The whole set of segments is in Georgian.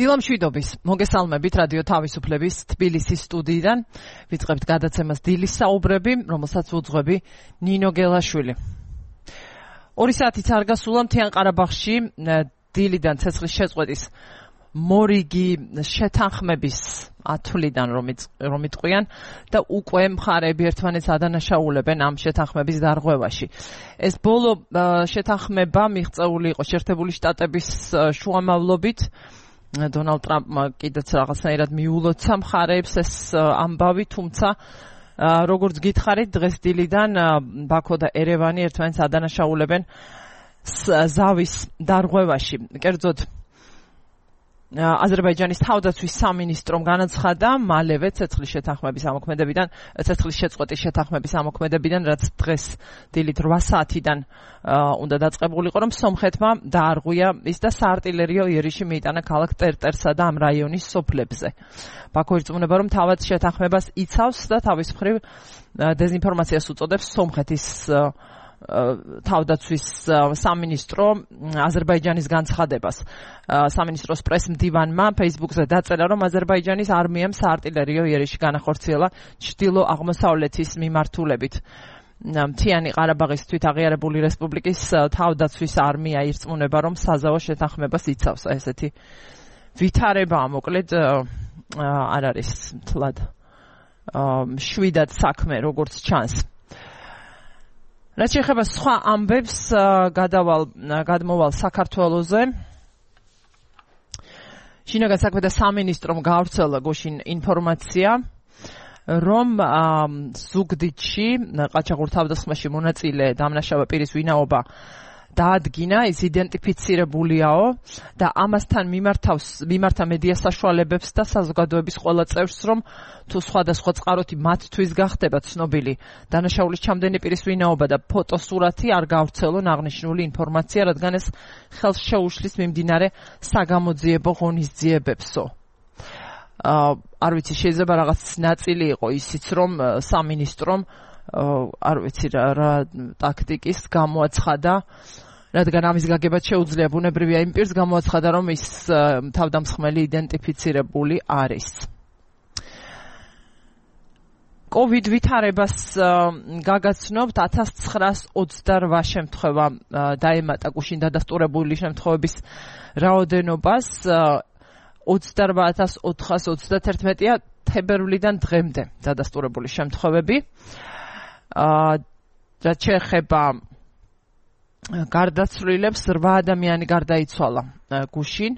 დილამშვიდობის მოგესალმებით რადიო თავისუფლების თბილისის სტუდიიდან ვიწყებთ გადაცემას დილის საუბრები, რომელსაც უძღვები ნინო გელაშვილი. 2 საათი არ გასულა მთიან ყარაბაღში დილიდან ცეცხლის შეწყვეტის მორიგი შეთანხმების ათვლიდან რომ იტყვიან და უკვე მხარეები ერთმანეთს ადანაშაულებენ ამ შეთანხმების დარღვევაში. ეს ბოლო შეთანხმება მიღწეული იყო შეერთებული შტატების შუამავლობით. დონალდ ტრამპმა კიდეც რაღაცნაირად მიულოცა მხარეებს ეს ამბავი, თუმცა როგორც გითხარით, დღეს დილიდან ბაქო და ერევანი ერთმანეთს ადანაშაულებენ ზავის დარღვევაში. კერძოდ აზერბაიჯანის თავდაცვის სამინისტრომ განაცხადა მალევე ცეცხლის შეწყვეტის შეთანხმების ამოქმედებიდან, რაც დღეს დილით 8 საათიდან უნდა დაწყებულიყო, რომ სომხეთმა დაარღვია ის და საარტილერიო იერიში მიიტანა ქალაქ ტერტერსა და ამ რაიონის სოფლებზე. ბაქო ირწმუნება, რომ თავად შეთანხმებას იცავს და თავის მხრივ დეზინფორმაციას უწოდებს სომხეთის თავდაცვის სამინისტრო აზერბაიჯანის განცხადებას. სამინისტროს პრეს-მდივანმა Facebook-ზე დაწერა, რომ აზერბაიჯანის არმიამ საარტილერიო იერიში განახორციელა ჩრდილო-აღმოსავლეთის მიმართულებით. მთიანი ყარაბაღის თვითაღიარებული რესპუბლიკის თავდაცვის არმია ირწმუნება, რომ საზავო შეთანხმებას იცავს. ესეთი ვითარებაა, მოკლედ არ არის მთლად შვიდად საქმე, როგორც ჩანს. რაც შეეხება სხვა ამბებს, გადმოვალ საქართველოზე. შინაგან საქმეთა სამინისტრომ გაავრცელა გუშინ ინფორმაცია, რომ ზუგდიდში ყაჩაღურ თავდასხმაში მონაწილე დამნაშავე პირის ვინაობა დაადგინა, ის იდენტიფიცირებულიაო და ამასთან მიმართა მედია საშუალებებს და საზოგადოების ყველა წევრს, რომ თუ სხვადასხვა წყაროთი მათთვის გახდება ცნობილი დანაშაულის ჩამდენი პირის ვინაობა და ფოტოსურათი, არ გაავრცელონ აღნიშნული ინფორმაცია, რადგან ეს ხელს შეუშლის მიმდინარე საგამოძიებო ღონისძიებებსო. არ ვიცი, შეიძლება რაღაც ნაწილი იყო ისიც, რომ სამინისტრომ არ ვიცი რა ტაქტიკის გამოაცხადა, რადგან ამის გაგებაც შეუძლია ბუნებრივია იმ პირს გამოაცხადა, რომ ის თავდამსხმელი იდენტიფიცირებული არის. COVID ვითარებას გაგაცნობთ 1928 შემთხვევა დაემატა გუშინ დადასტურებული შემთხვევების რაოდენობას 28,431-ია თებერვლიდან დღემდე დადასტურებული შემთხვევები. რაც შეეხება გარდაცვლილებს, 8 ადამიანი გარდაიცვალა გუშინ,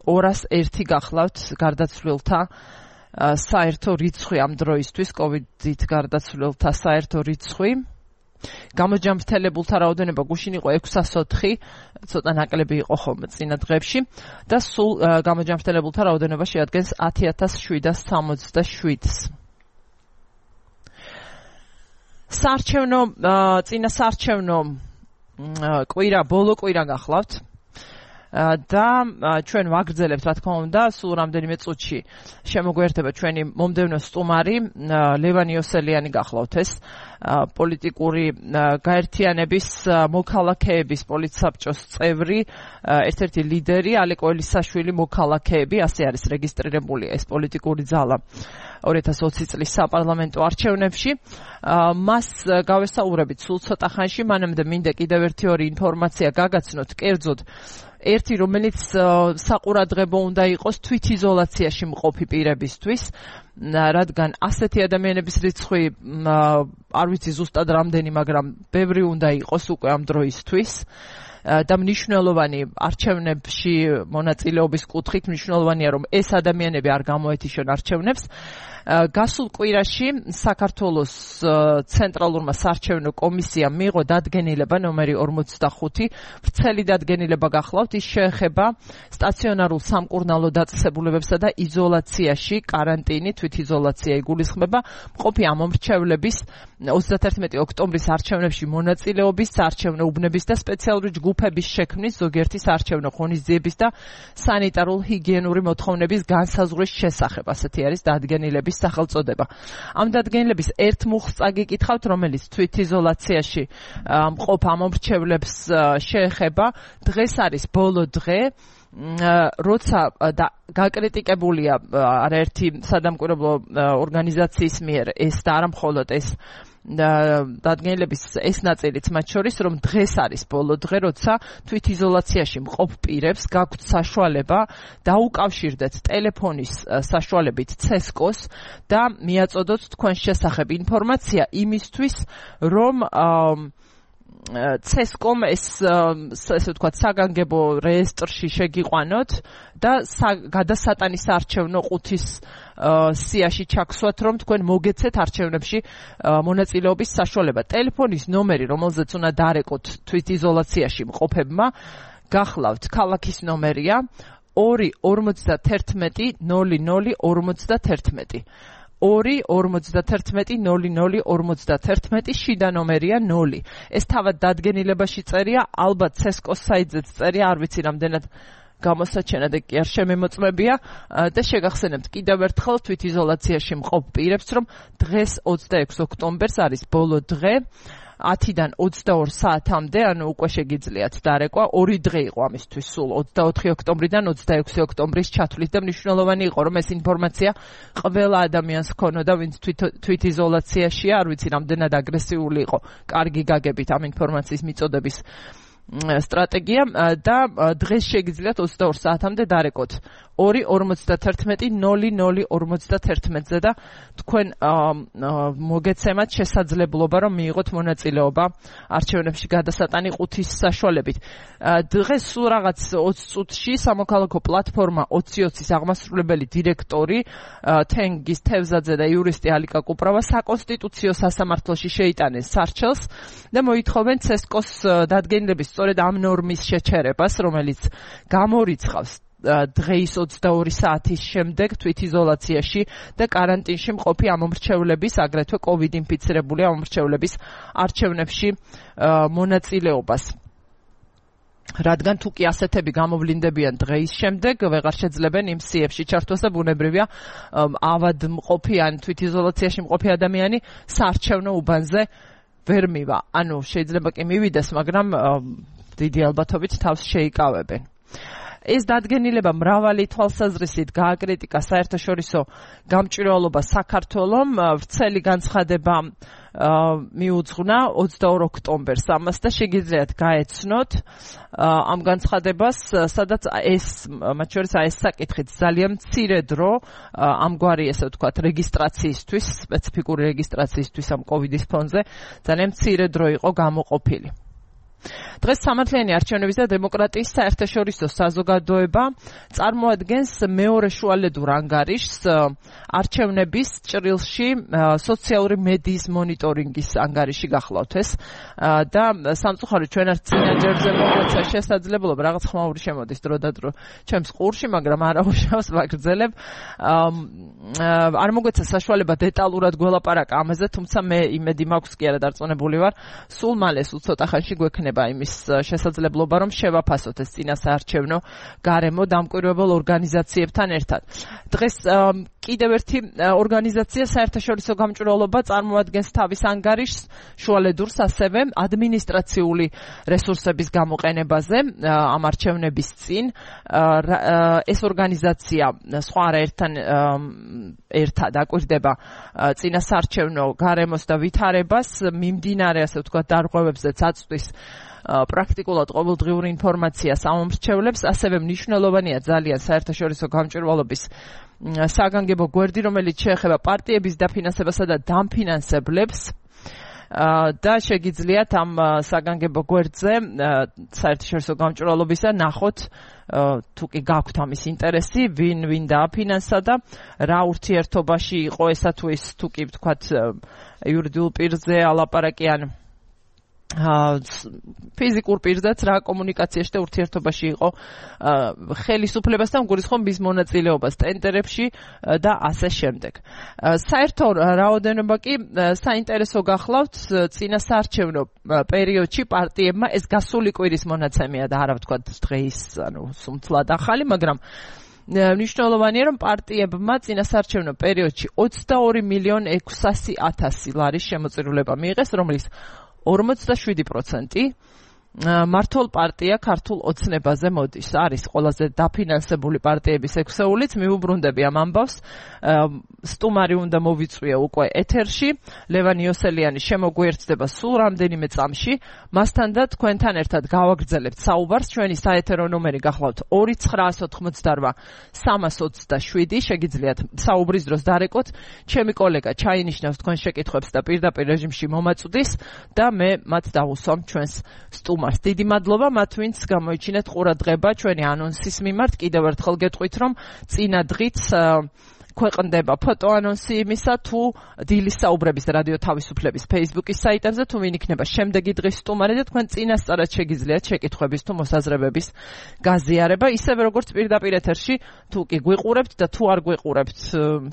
201 გახლავთ გარდაცვლილთა საერთო რიცხვი ამ დროისთვის, COVID-ით გარდაცვლილთა საერთო რიცხვი. გამოჯანმრთელებულთა რაოდენობა გუშინ იყო 604, ცოტა ნაკლები იყო ხოლმე წინა დღეებში და სულ გამოჯანმრთელებულთა რაოდენობა შეადგენს 10,767-ს. წინა საარჩევნო ბოლო კვირა გახლავთ და ჩვენ ვაგრძელებთ, რა თქმა უნდა, სულ რამდენიმე წუთში შემოგვიერთება ჩვენი მომდევნო სტუმარი ლევან იოსელიანი გახლავთ ეს პოლიტიკური გაერთიანების მოქალაქეების პოლიტსაბჭოს წევრი, ერთ-ერთი ლიდერი ალეკო ელისაშვილი მოქალაქეები, ასე არის რეგისტრირებული ეს პოლიტიკური ძალა 2020 წლის საპარლამენტო არჩევნებში. მას გავესაუბრებით სულ ცოტა ხანში, მანამდე მინდა კიდევ ერთი ინფორმაცია გაგაცნოთ, კერძოდ ერთი, რომელიც საყურადღებო უნდა იყოს თვითიზოლაციაში მყოფი პირებისთვის, რადგან ასეთი ადამიანების რიცხვი არ ვიცი ზუსტად რამდენი, მაგრამ ბევრი უნდა იყოს უკვე ამ დროისთვის და მნიშვნელოვანი არჩევნებში მონაწილეობის კუთხით მნიშვნელოვანია, რომ ეს ადამიანები არ გამოეთიშონ არჩევნებს. გასულ კვირაში საქართველოს ცენტრალურმა საარჩევნო კომისიამ მიიღო დადგენილება ნომერი 45, ვრცელი დადგენილება გახლავთ, ის შეეხება სტაციონარულ სამკურნალო დაწესებულებებსა და იზოლაციაში, კარანტინი, თვითიზოლაცია იგულისხმება მყოფი ამომრჩევლების 31 ოქტომბრის არჩევნებში მონაწილეობის, საარჩევნო უბნების და სპეციალური ჯგუფების შექმნის, ზოგიერთი საარჩევნო ღონისძიების და სანიტარულ ჰიგიენური მოთხოვნების განსაზღვრის შესახებ. ასეთი არის დადგენილების სახელწოდება. ამ დადგენილების ერთ მუხლს წაგიკითხავთ, რომელიც თვითიზოლაციაში მყოფ ამომრჩევლებს შეეხება. დღეს არის ბოლო დღე როცა გაკრიტიკებულია არაერთი სადამკვირვებლო ორგანიზაციის მიერ ეს და არა მხოლოდ ეს დადგენილების ეს ნაწილიც მათ შორის რომ დღეს არის ბოლო დღე როცა თვითიზოლაციაში მყოფ პირებს გაქვთ საშუალება დაუკავშირდეთ ტელეფონის საშუალებით CESCO-ს და მიაწოდოთ თქვენს შესახებ ინფორმაცია იმისთვის რომ CESCO-მ ესე ვთქვათ საგანგებო რეესტრში შეგიყვანოთ და გადასატანის არჩევნო ყუთის სიაში ჩაგსვათ რომ თქვენ მოგეცეთ არჩევნებში მონაწილეობის საშუალება. ტელეფონის ნომერი რომელზეც უნდა დარეკოთ თვითიზოლაციაში მყოფებმა გახლავთ ქალაქის ნომერია 251 00 2-51-00-51 შიდა ნომერია 0. ეს თავად დადგენილებაში წერია, ალბათ CESCO-ს საიტზეც წერია, არ ვიცი რამდენად გამოსაჩენად კი არ შემემოწმებია და შეგახსენებთ კიდევ ერთხელ თვითიზოლაციაში მყოფ პირებს, რომ დღეს 26 ოქტომბერს არის ბოლო დღე 10-დან 22 საათამდე, ანუ უკვე შეგიძლიათ დარეკვა, 2 დღე იყო ამისთვის სულ 24 ოქტომბრიდან 26 ოქტომბრის ჩათვლით და მნიშვნელოვანი იყო რომ ეს ინფორმაცია ყველა ადამიანს ჰქონოდა, ვინც თვითიზოლაციაშია, არ ვიცი რამდენად აგრესიული იყო, კარგი გაგებით ამ ინფორმაციის მიწოდების სტრატეგია და დღეს შეგიძლიათ 22 საათამდე დარეკოთ 2-51-00-51-ზე და თქვენ მოგეცემათ შესაძლებლობა რომ მიიღოთ მონაწილეობა არჩევნებში გადასატანი ყუთის საშუალებით. დღეს სულ რაღაც 20 წუთში სამოქალაქო პლატფორმა 2020-ის აღმასრულებელი დირექტორი თენგის თევზაძე და იურისტი ალიკა კუპრავა საკონსტიტუციო სასამართლოში შეიტანეს სარჩელს და მოითხოვენ CESCO-ს დადგენილების სწორედ ამ ნორმის შეჩერებას, რომელიც გამორიცხავს დღეის 22 საათის შემდეგ თვითიზოლაციაში და კარანტინში მყოფი ამომრჩევლების, აგრეთვე COVID ინფიცირებული ამომრჩევლების არჩევნებში მონაწილეობას. რადგან თუ კი ასეთები გამოვლინდებიან დღეის შემდეგ, ვეღარ შეძლებენ იმ სიებში ჩართვას და ბუნებრივია ავადმყოფი ან თვითიზოლაციაში მყოფი ადამიანი საარჩევნო უბანზე ვერ მივა. ანუ შეიძლება კი მივიდეს, მაგრამ დიდი ალბათობით თავს შეიკავებენ. ეს დადგენილება მრავალი თვალსაზრისით გააკრიტიკა საერთაშორისო გამჭვირვალობა საქართველომ, ვრცელი განცხადება მიუძღვნა 22 ოქტომბერს ამას და შეგიძლიათ გაეცნოთ ამ განცხადებას, სადაც ეს მათ შორის ეს საკითხით ძალიან მცირე დრო ამგვარი ესე ვთქვათ რეგისტრაციისთვის, სპეციფიკური რეგისტრაციისთვის ამ COVID-ის ფონზე ძალიან მცირე დრო იყო გამოყოფილი. დღეს სამართლიანი არჩევნების და დემოკრატიის საერთაშორისო საზოგადოება წარმოადგენს მეორე შუალედურ ანგარიშს არჩევნების ჭრილში სოციალური მედიის მონიტორინგის ანგარიში გახლავთ ეს და სამწუხაროდ ჩვენ არ წინაჯერზე მოგეცა შესაძლებლობა რაღაც ხმაური შემოდის დრო და დრო ჩემს ყურში, მაგრამ არ აუშავს ვაგრძელებ. არ მოგეცა საშუალება დეტალურად გველაპარაკა ამაზე, თუმცა მე იმედი მაქვს კი არა დარწმუნებული ვარ, სულ მალე სულ ცოტა ხანში გვექნება იმის შესაძლებლობა რომ შევაფასოთ ეს წინასაარჩევნო გარემო დამკვირვებელ ორგანიზაციებთან ერთად. დღეს კიდევ ერთი ორგანიზაცია საერთაშორისო გამჭვირვალობა წარმოადგენს თავის ანგარიშს შუალედურს ასევე ადმინისტრაციული რესურსების გამოყენებაზე ამ არჩევნების წინ. ეს ორგანიზაცია სხვა არაერთთან ერთად აკვირდება წინასაარჩევნო გარემოს და ვითარებას, მიმდინარე ასე ვთქვათ დარღვევებზეც აწვდის პრაქტიკულად ყოველდღიური ინფორმაციას ამომრჩევლებს, ასევე მნიშვნელოვანია ძალიან საერთაშორისო გამჭვირვალობის საგანგებო გვერდი, რომელიც შეეხება პარტიების დაფინანსებასა და დამფინანსებლებს და შეგიძლიათ ამ საგანგებო გვერდზე საერთაშორისო გამჭვირვალობისა ნახოთ თუ კი გაქვთ ამის ინტერესი, ვინ დააფინანსა და რა ურთიერთობაში იყო ესა თუ ის თუ კი ვთქვათ იურიდიულ პირზე ალაპარაკი ან ფიზიკურ პირზეც რა კომუნიკაციაში და ურთიერთობაში იყო ხელისუფლებასთან გულისხმობ მის მონაწილეობას ტენდერებში და ასე შემდეგ. საერთო რაოდენობა კი საინტერესო გახლავთ წინასაარჩევნო პერიოდში პარტიებმა ეს გასული კვირის მონაცემია და არა ვთქვათ დღეის სუმთლად ახალი, მაგრამ მნიშვნელოვანია რომ პარტიებმა წინასაარჩევნო პერიოდში 22,600,000 ლარის შემოწირულება მიიღეს, რომლის 47% მართლ პარტია ქართულ ოცნებაზე მოდის. არის ყველაზე დაფინანსებული პარტიების ექვსეულიც, მიუბრუნდები ამ ამბავს. სტუმარი უნდა მოვიწვია უკვე ეთერში. ლევან იოსელიანი შემოგვიერთდება სულ რამდენიმე წამში. მასთან და თქვენთან ერთად გავაგრძელებთ საუბარს. ჩვენი საეთერო ნომერი გახლავთ 2988 327. შეგიძლიათ საუბრის დროს დარეკოთ. ჩემი კოლეგა ჩაინიშნავს თქვენ შეკითხვებს და პირდაპირ რეჟიმში მომაწვდის და მე მათ დავუსვამ ჩვენს სტუმარს. დიდი მადლობა მათ, ვინც გამოიჩინეთ ყურადღება ჩვენი ანონსის მიმართ. კიდევ ერთხელ გეტყვით, რომ წინა დღით ქვეყნდება ფოტო ანონსი იმისა, თუ დილის საუბრების რადიო თავისუფლების Facebook-ის საიტებზე, თუ ვინ იქნება შემდეგი დღის სტუმარი და თქვენ წინასწარად შეგიძლიათ შეკითხვების თუ მოსაზრებების გაზიარება, ისევე როგორც პირდაპირ ეთერში, თუ კი გვიყურებთ და თუ არ გვიყურებთ,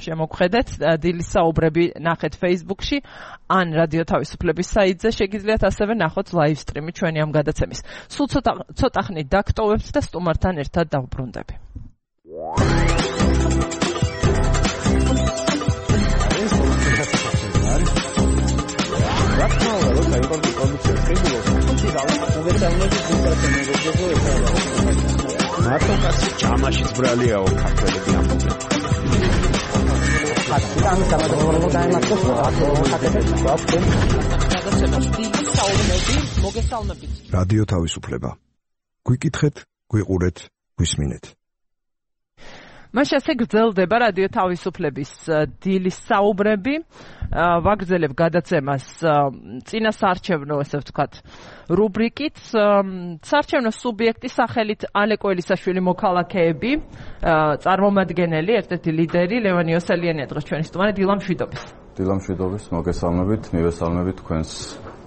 შემოგხედეთ, დილის საუბრები ნახეთ Facebook-ში, ან რადიო თავისუფლების საიტზე შეგიძლიათ ასევე ნახოთ live stream-ი ჩვენი ამ გადაცემის. სულ ცოტა ხნით დაგტოვებთ და სტუმართან ერთად დავბრუნდები. მარტოკაც ჭამაშიც ბრალიაო ქართველები ამბობენ. რადიო თავისუფლება. გვიკითხეთ, გვიყურეთ, გვისმინეთ. მაშ ასე გრძელდება რადიო თავისუფლების დილის საუბრები. ვაგრძელებ გადაცემას წინა საარჩევნო, ესე ვთქვათ, რუბრიკით. საარჩევნო სუბიექტი სახელით ალეკო ელისაშვილი მოქალაქეები, წარმომადგენელი, ერთ-ერთი ლიდერი ლევან იოსელიანი დღეს ჩვენი სტუმარი დილა მშვიდობის. დილა მშვიდობის, მოგესალმებით, მივესალმებით თქვენს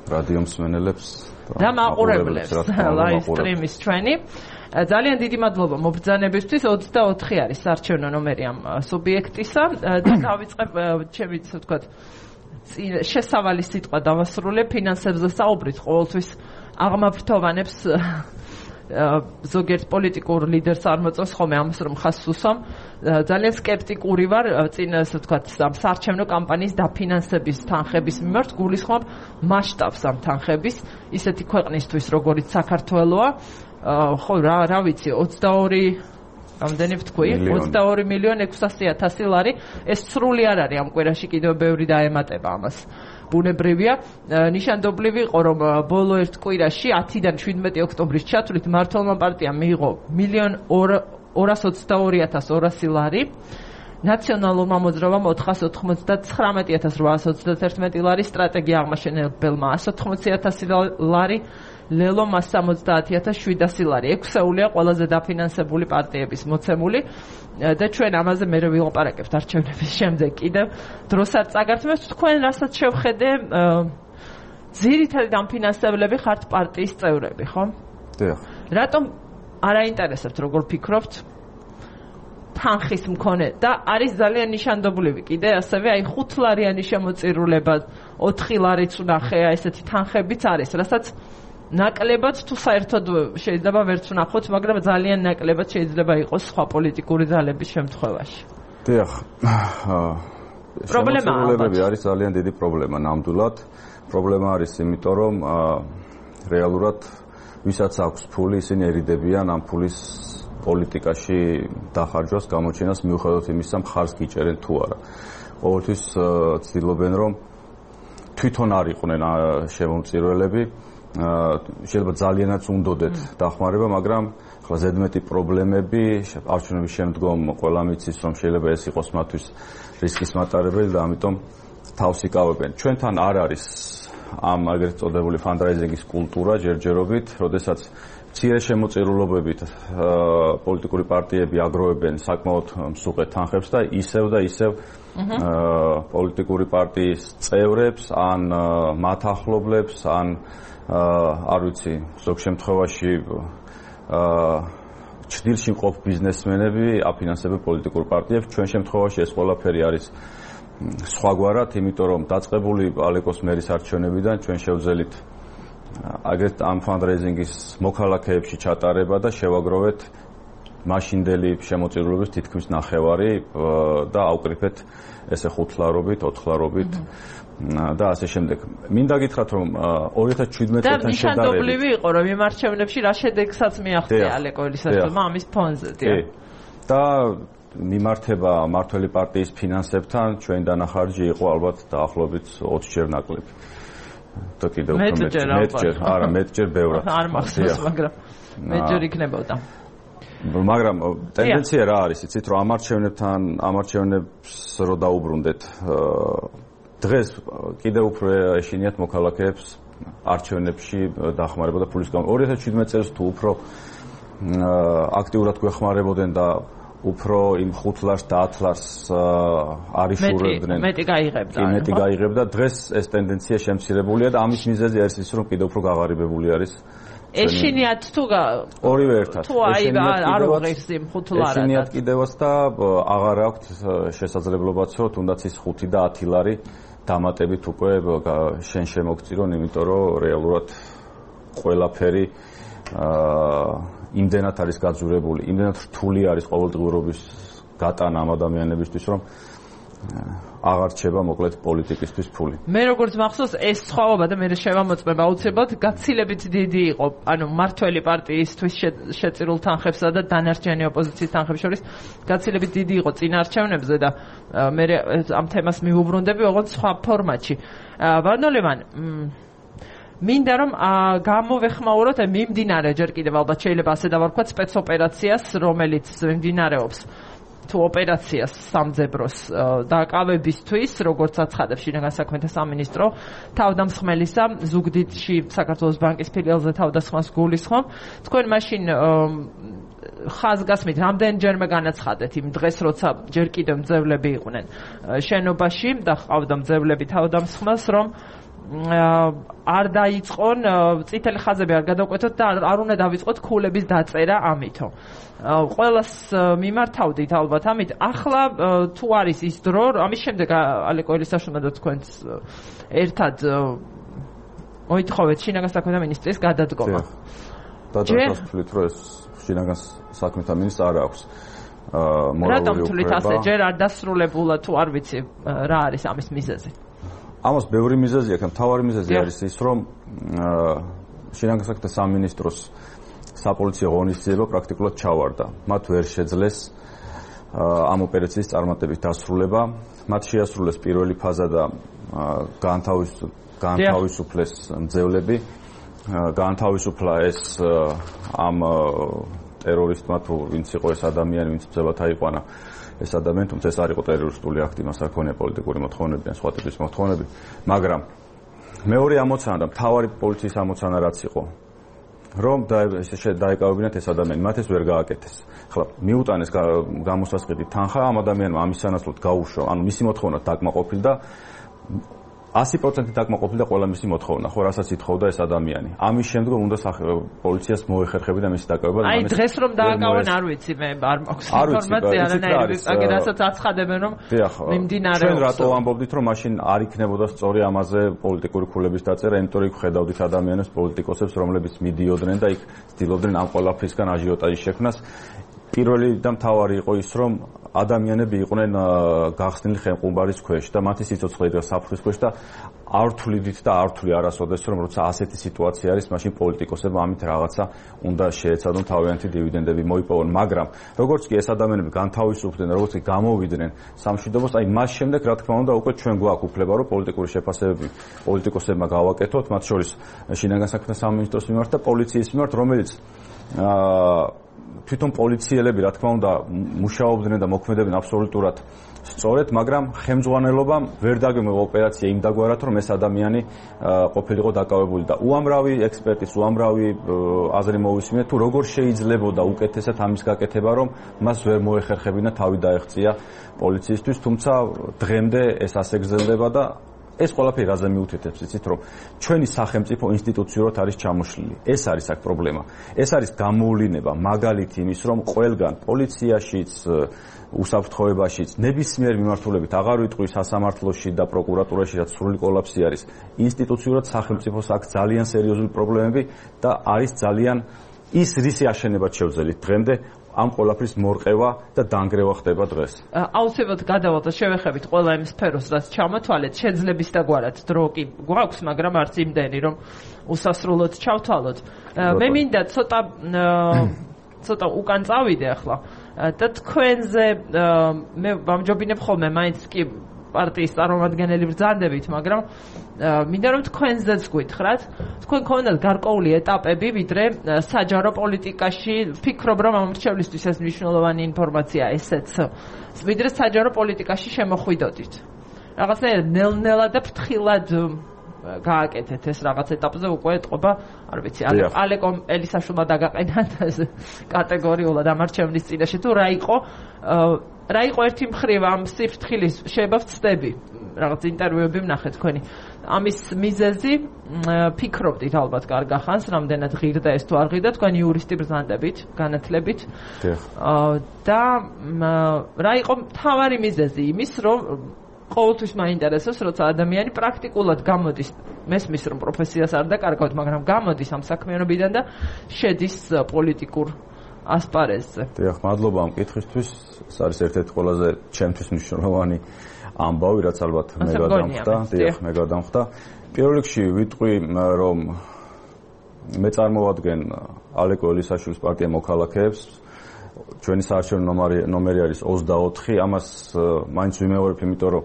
რადიო მსმენელებს და მაყურებლებს live stream-ის ჩვენი. ძალიან დიდი მადლობა მობრძანებისთვის. 24 არის საარჩევნო ნომერი ამ სუბიექტისა და დავიწყებ ჩემი, ასე ვთქვათ, შესავალი სიტყვა დავასრულებ ფინანსებზე საუბრით. ყოველთვის აღმაფრთოვანებს ზოგიერთ პოლიტიკურ ლიდერს არ მოწონს ხოლმე ამას, რომ ხაზს უსვამ. ძალიან სკეპტიკური ვარ წინ, ასე ვთქვათ, ამ საარჩევნო კამპანიის დაფინანსების თანხების მიმართ. გულისხმობ მასშტაბს ამ თანხების, ისეთი ქვეყნისთვის, როგორიც საქართველოა. ხო, რა ვიცი, 22 რამდენი ვთქვი? 22,600,000 ლარი. ეს სრული არ არის ამ კვირაში, კიდევ ბევრი დაემატება ამას. ბუნებრივია. ნიშანდობლივი იყო, რომ ბოლო ერთ კვირაში 10-დან 17 ოქტომბრის ჩათვლით მართლმა პარტიამ მიიღო 1,222,200 ლარი. ნაციონალურმა მოძრაობამ 499,821 ლარი, სტრატეგია აღმაშენებელმა 180,000 ლარი, ლელო მას 70,700 ლარი. ექვსეულია ყველაზე დაფინანსებული პარტიების მოცემული და ჩვენ ამაზე მე ვილაპარაკებთ არჩევნების შემდეგ კიდევ დროს არ წაგართმევთ. თქვენ რასაც შევხედე, ძირითადი დამფინანსებლები ხართ პარტიის წევრები, ხო? დიახ. რატომ არ აინტერესებთ, როგორ ფიქრობთ? თანხის მქონე და არის ძალიან ნიშანდობლივი კიდე ასევე აი 5 ლარიანი შემოწირულება, 4 ლარიც ვნახეა, ესეთი თანხებიც არის, რასაც ნაკლებად თუ საერთოდ შეიძლება ვერც ვნახოთ, მაგრამ ძალიან ნაკლებად შეიძლება იყოს სხვა პოლიტიკური ძალების შემთხვევაში. დიახ. პრობლემაა არის ძალიან დიდი პრობლემა ნამდვილად. პრობლემა არის იმიტომ, რომ რეალურად ვისაც აქვს ფული, ისინი ერიდებიან ამ ფულის პოლიტიკაში დახარჯვას, გამოჩენას, მიუხედავად იმისა, მხარს გიჭერენ თუ არა. ყოველთვის ცდილობენ, რომ თვითონ არ იყვნენ შემომწირველები, შეიძლება ძალიანაც უნდოდეთ დახმარება, მაგრამ ხლა ზედმეტი პრობლემები არჩევნების შემდგომ ყველა მიცის, რომ შეიძლება ეს იყოს მათთვის რისკის მატარებელი და ამიტომ თავს იკავებენ. ჩვენთან არ არის ამ აგრეთ წოდებული ფანდრაიზინგის კულტურა ჯერჯერობით, როდესაც მცირე შემოწირულობებით პოლიტიკური პარტიები აგროვებენ საკმაოდ მსუყეთ თანხებს და ისევ პოლიტიკური პარტიის წევრებს, ან მათ ახლობლებს, ან არ ვიცი, ზოგ შემთხვევაში ჭდილში მყოფ ბიზნესმენები აფინანსებენ პოლიტიკურ პარტიებს. ჩვენ შემთხვევაში ეს ყველაფერი არის სხვაგვარად, იმიტომ რომ დაწყებული ალეკოს მერის არჩევნებიდან ჩვენ შევძელით აგრეთ ამ ფანდრეიზინგის მოქალაქეებში ჩატარება და შევაგროვეთ მაშინდელი შემოწირულობის თითქმის ნახევარი და აუკრიფეთ ესე 5 ლარობით, 4 ლარობით და ასე შემდეგ. მინდა გითხრათ რომ 2017 წელთან შედარებით და ნიშანდობლივი იყო რომ იმ არჩევნებში რა შედეგსაც მიაღწია ალეკოილისაშვილმა ამის ფონზე. და მიმართება მართველი პარტიის ფინანსებთან ჩვენ დანახარჯი იყო ალბათ დაახლოებით 20 ჯერ ნაკლები. და კიდევ მეტჯერ, არა მეტჯერ ბევრად. არ მახსოვს, მაგრამ მეტჯერ იქნებოდა. მაგრამ ტენდენცია რა არის, იცით რომ ამ არჩევნებს რო დაუბრუნდეთ დღეს კიდევ უფრო ეშინიათ მოქალაქეებს არჩევნებში დახმარება და ფულის გამო 2017 წელს თუ უფრო აქტიურად გვეხმარებოდნენ და უფრო იმ 5 ლარს და 10 ლარს არიშურებდნენ. მეტი გაიღებდა. მეტი გაიღებდა. დღეს ეს ტენდენცია შემცირებულია და ამის მიზეზი არის ის რომ კიდევ უფრო გაღარიბებული არის. ეშინიათ თუ ორივე ერთად. თუ აი არ უღირს იმ 5 ლარად. ეშინიათ კიდევაც და აღარ აქვს შესაძლებლობაც რომ თუნდაც ის 5 და 10 ლარი დამატებით უკვე შენ შემოგწირონ, იმიტომ რომ რეალურად ყველაფერი იმდენად არის გაძურებული, იმდენად რთული არის ყოველდღიურობის გატანა ამ ადამიანებისთვის, რომ აღარ რჩება მოკლედ პოლიტიკისთვის ფული. მე როგორც მახსოვს ეს სხვაობა და მე შევამოწმებ აუცილებლად გაცილებით დიდი იყო, ანუ მართველი პარტიისთვის შეწირულ თანხებსა და დანარჩენი ოპოზიციის თანხებს შორის გაცილებით დიდი იყო წინა არჩევნებზე და მე ამ თემას მივუბრუნდები ოღონდ სხვა ფორმატში. ვარნოლევან მინდა რომ გამოვეხმაუროთ მიმდინარე ჯერ კიდევ ალბათ შეიძლება ასე დავარქვათ სპეცოპერაციას, რომელიც მიმდინარეობს თუ ოპერაციას სამძებროს დაკავებისთვის, როგორც აცხადებს შინაგან საქმეთა სამინისტრო, თავდამსხმელისა ზუგდიდში საქართველოს ბანკის ფილიალზე თავდასხმას გულისხმობ. თქვენ მაშინ ხაზგასმით რამდენჯერმე განაცხადეთ იმ დღეს, როცა ჯერ კიდევ მძევლები იყვნენ შენობაში და ყავდა მძევლები თავდამსხმელს, რომ არ დაიწყონ წითელი ხაზები არ გადავკვეთოთ და არ უნდა დავიწყოთ ქულების დაწერა ამითო. ყველას მიმართავდით ალბათ ამით. ახლა თუ არის ის დრო, ამის შემდეგ ალეკოილისაშვილმა და თქვენს ერთად მოითხოვეთ შინაგან საქმეთა მინისტრის გადადგომა. დადასტურეთ რომ ეს შინაგან საქმეთა მინისტრს არ აქვს მორალური უფლება. რატომ თვლით ასე ჯერ არ დასრულებულა თუ არ ვიცი რა არის ამის მიზეზი? ამას ბევრი მიზეზი აქვს, მთავარი მიზეზი არის ის, რომ შინაგან საქმეთა სამინისტროს საპოლიციო ღონისძიება პრაქტიკულად ჩავარდა. მათ ვერ შეძლეს ამ ოპერაციის წარმატებით დასრულება. მათ შეასრულეს პირველი ფაზა და გაანთავისუფლეს მძევლები. გაანთავისუფლა ეს ამ ტერორისტმა თუ ვინც იყო ეს ადამიანი, ვინც მძევლად აიყვანა ეს ადამიანი, თუმცა ეს არ იყო ტერორისტული აქტი, მას არ ქონია პოლიტიკური მოთხოვნები ან სხვა ტიპის მოთხოვნები, მაგრამ მეორე ამოცანა და მთავარი პოლიციის ამოცანა რაც იყო, რომ დაეკავებინათ ეს ადამიანი, მათ ეს ვერ გააკეთეს. ახლა მიუტანეს გამოსასყიდი თანხა ამ ადამიანმა, ამის სანაცვლოდ გაუშვა, ანუ მისი მოთხოვნა დაკმაყოფილდა 100% დაკმაყოფილდა ყველა მისი მოთხოვნა, ხო, რასაც ითხოვდა ეს ადამიანი. ამის შემდგომ უნდა პოლიციას მოეხერხებინა მისი დაკავება. აი დღეს რომ დააკავენ არ ვიცი მე არ მაქვს ინფორმაცია არანაირი, აგერასაც აცხადებენ რომ მიმდინარეობს. ჩვენ რატო ამბობდით რომ მაშინ არ იქნებოდა სწორი ამაზე პოლიტიკური ქულების დაწერა, იმიტომ რომ იქ ხედავდით ადამიანებს, პოლიტიკოსებს, რომლებიც მიდიოდნენ და იქ ცდილობდნენ ამ ყველაფრისგან აჟიოტაჟის შექმნას. პირველი და მთავარი იყო ის, რომ ადამიანები იყვნენ გახსნილი ხელმყუმბარის ქვეშ და მათი სიცოცხლე იდგა საფრთხის ქვეშ და არ თვლიდით და არ თვლი არასოდეს, რომ როცა ასეთი სიტუაცია არის, მაშინ პოლიტიკოსებმა ამით რაღაცა უნდა შეეცადონ თავიანთი დივიდენდები მოიპოვონ, მაგრამ როგორც კი ეს ადამიანები განთავისუფლდნენ, როგორც კი გამოვიდნენ სამშვიდობოს, აი მას შემდეგ რა თქმა უნდა უკვე ჩვენ გვაქვს უფლება, რომ პოლიტიკური შეფასებები პოლიტიკოსებმა გავაკეთოთ, მათ შორის შინაგან საქმეთა სამინისტროს მიმართ და პოლიციის მიმართ, რომელიც თვითონ პოლიციელები რა თქმა უნდა მუშაობდნენ და მოქმედებდნენ აბსოლუტურად სწორედ, მაგრამ ხელმძღვანელობამ ვერ დაგემო ოპერაცია იმ დაგვარად, რომ ეს ადამიანი ყოფილიყო დაკავებული და უამრავი ექსპერტის, უამრავი აზრი მოვისმინეთ, თუ როგორ შეიძლებოდა უკეთესად ამის გაკეთება, რომ მას ვერ მოეხერხებინა თავი დაეღწია პოლიციისთვის, თუმცა დღემდე ეს ასე გრძელდება და ეს ყველაფერი რაზე მიუთითებს, იცით, რომ ჩვენი სახელმწიფო ინსტიტუციურად არის ჩამოშლილი. ეს არის აქ პრობლემა. ეს არის გამოვლინება, მაგალითი იმის, რომ ყველგან პოლიციაშიც, უსაფრთხოებაშიც, ნებისმიერ მიმართულებით აღარ ვიტყვი სასამართლოში და პროკურატურაში, რაც სრული კოლაფსი არის. ინსტიტუციურად სახელმწიფოს აქვს ძალიან სერიოზული პრობლემები და არის ძალიან ის რისი აშენებაც შევძელით დღემდე ამ ყველაფრის მორყევა და დანგრევა ხდება დღეს. აუცილებლად გადავალთ შევეხებით ყველა იმ სფეროს, რაც ჩამოთვალეთ, შეძლების დაგვარად დრო კი გვაქვს, მაგრამ არც იმდენი, რომ უსასრულოდ ჩავთვალოთ. მე მინდა ცოტა უკან წავიდე ახლა და თქვენზე მე ვამჯობინებ ხოლმე მაინც კი პარტიის წარმომადგენელი ბრძანდებით, მაგრამ მინდა რომ თქვენზეც გითხრათ, თქვენ გქონდათ გარკვეული ეტაპები, ვიდრე საჯარო პოლიტიკაში, ვფიქრობ რომ ამ მრჩევლისთვის ეს მნიშვნელოვანი ინფორმაცია ესეც, ვიდრე საჯარო პოლიტიკაში შემოხვიდოდით. რაღაცნაირად ნელ-ნელა და ფრთხილად გააკეთეთ ეს რაღაც ეტაპზე უკვე ეთყობა, არ ვიცი, ალეკო ელისაშვილმა დაგაყენა კატეგორიულად ამარჩევნის წინაშე თუ რა იყო ერთი მხრივ ამ სიფრთხილის შეიძლება ვწდები რაღაც ინტერვიუები ვნახე თქვენი ამის მიზეზი ფიქრობდით ალბათ კარგ ახანს რამდენად ღირდა ეს თუ არ ღირდა თქვენი იურისტი ბრძანდებით განათლებით და რა იყო მთავარი მიზეზი იმის რომ ყოველთვის მაინტერესებს როცა ადამიანი პრაქტიკულად გამოდის მესმის რომ პროფესიას არ დაკარგავთ მაგრამ გამოდის ამ საქმიანობიდან და შედის პოლიტიკურ ასპარეზზე. დიახ, მადლობა ამ კითხვისთვის. ეს არის ერთ-ერთი ყველაზე ჩემთვის მნიშვნელოვანი ამბავი, რაც ალბათ მე გადამხდა. დიახ, მე გადამხდა. პირველ რიგში ვიტყვი, რომ მე წარმოვადგენ ალეკო ელისაშვილის პარტია მოქალაქეებს. ჩვენი საარჩევნო ნომერი არის 24. ამას მაინც ვიმეორებ, იმიტომ რომ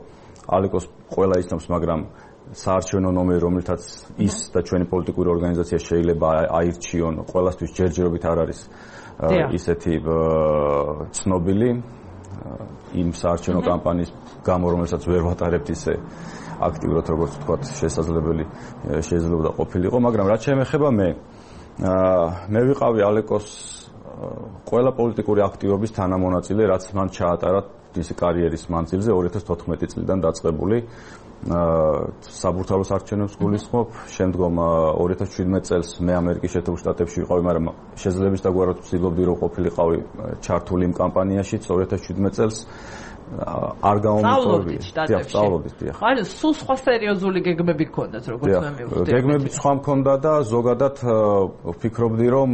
ალეკოს ყველა იცნობს, მაგრამ საარჩევნო ნომერი, რომელთაც ის და ჩვენი პოლიტიკური ორგანიზაცია შეიძლება აირჩიონ, ყველასთვის ჯერჯერობით არ არის ისეთი ცნობილი იმ საარჩევნო კამპანიის გამო, რომელსაც ვერ ვატარებთ ისე აქტიურად, როგორც ვთქვათ, შეიძლება ყოფილიყო, მაგრამ რაც შეეხება მე ვიყავი ალეკოს ყველა პოლიტიკური აქტივობის თანამონაწილე, რაც მან ჩაატარა მისი კარიერის მანძილზე 2014 წლიდან დაწყებული საბურთალო საარჩევნებს გულისხმობ, შემდგომ 2017 წელს მე ამერიკის შეერთებულ შტატებში ვიყავი, მაგრამ შეძლების დაგვარად ვცდილობდი რომ ყოფილიყავი ჩართული იმ კამპანიაშიც 2017 წელს არ გამომიწოვდი. სწავლობდით, დიახ. ანუ სულ სხვა სერიოზული გეგმები გქონდათ, როგორც მე მივხვდი. გეგმები სხვა მქონდა და ზოგადად ვფიქრობდი რომ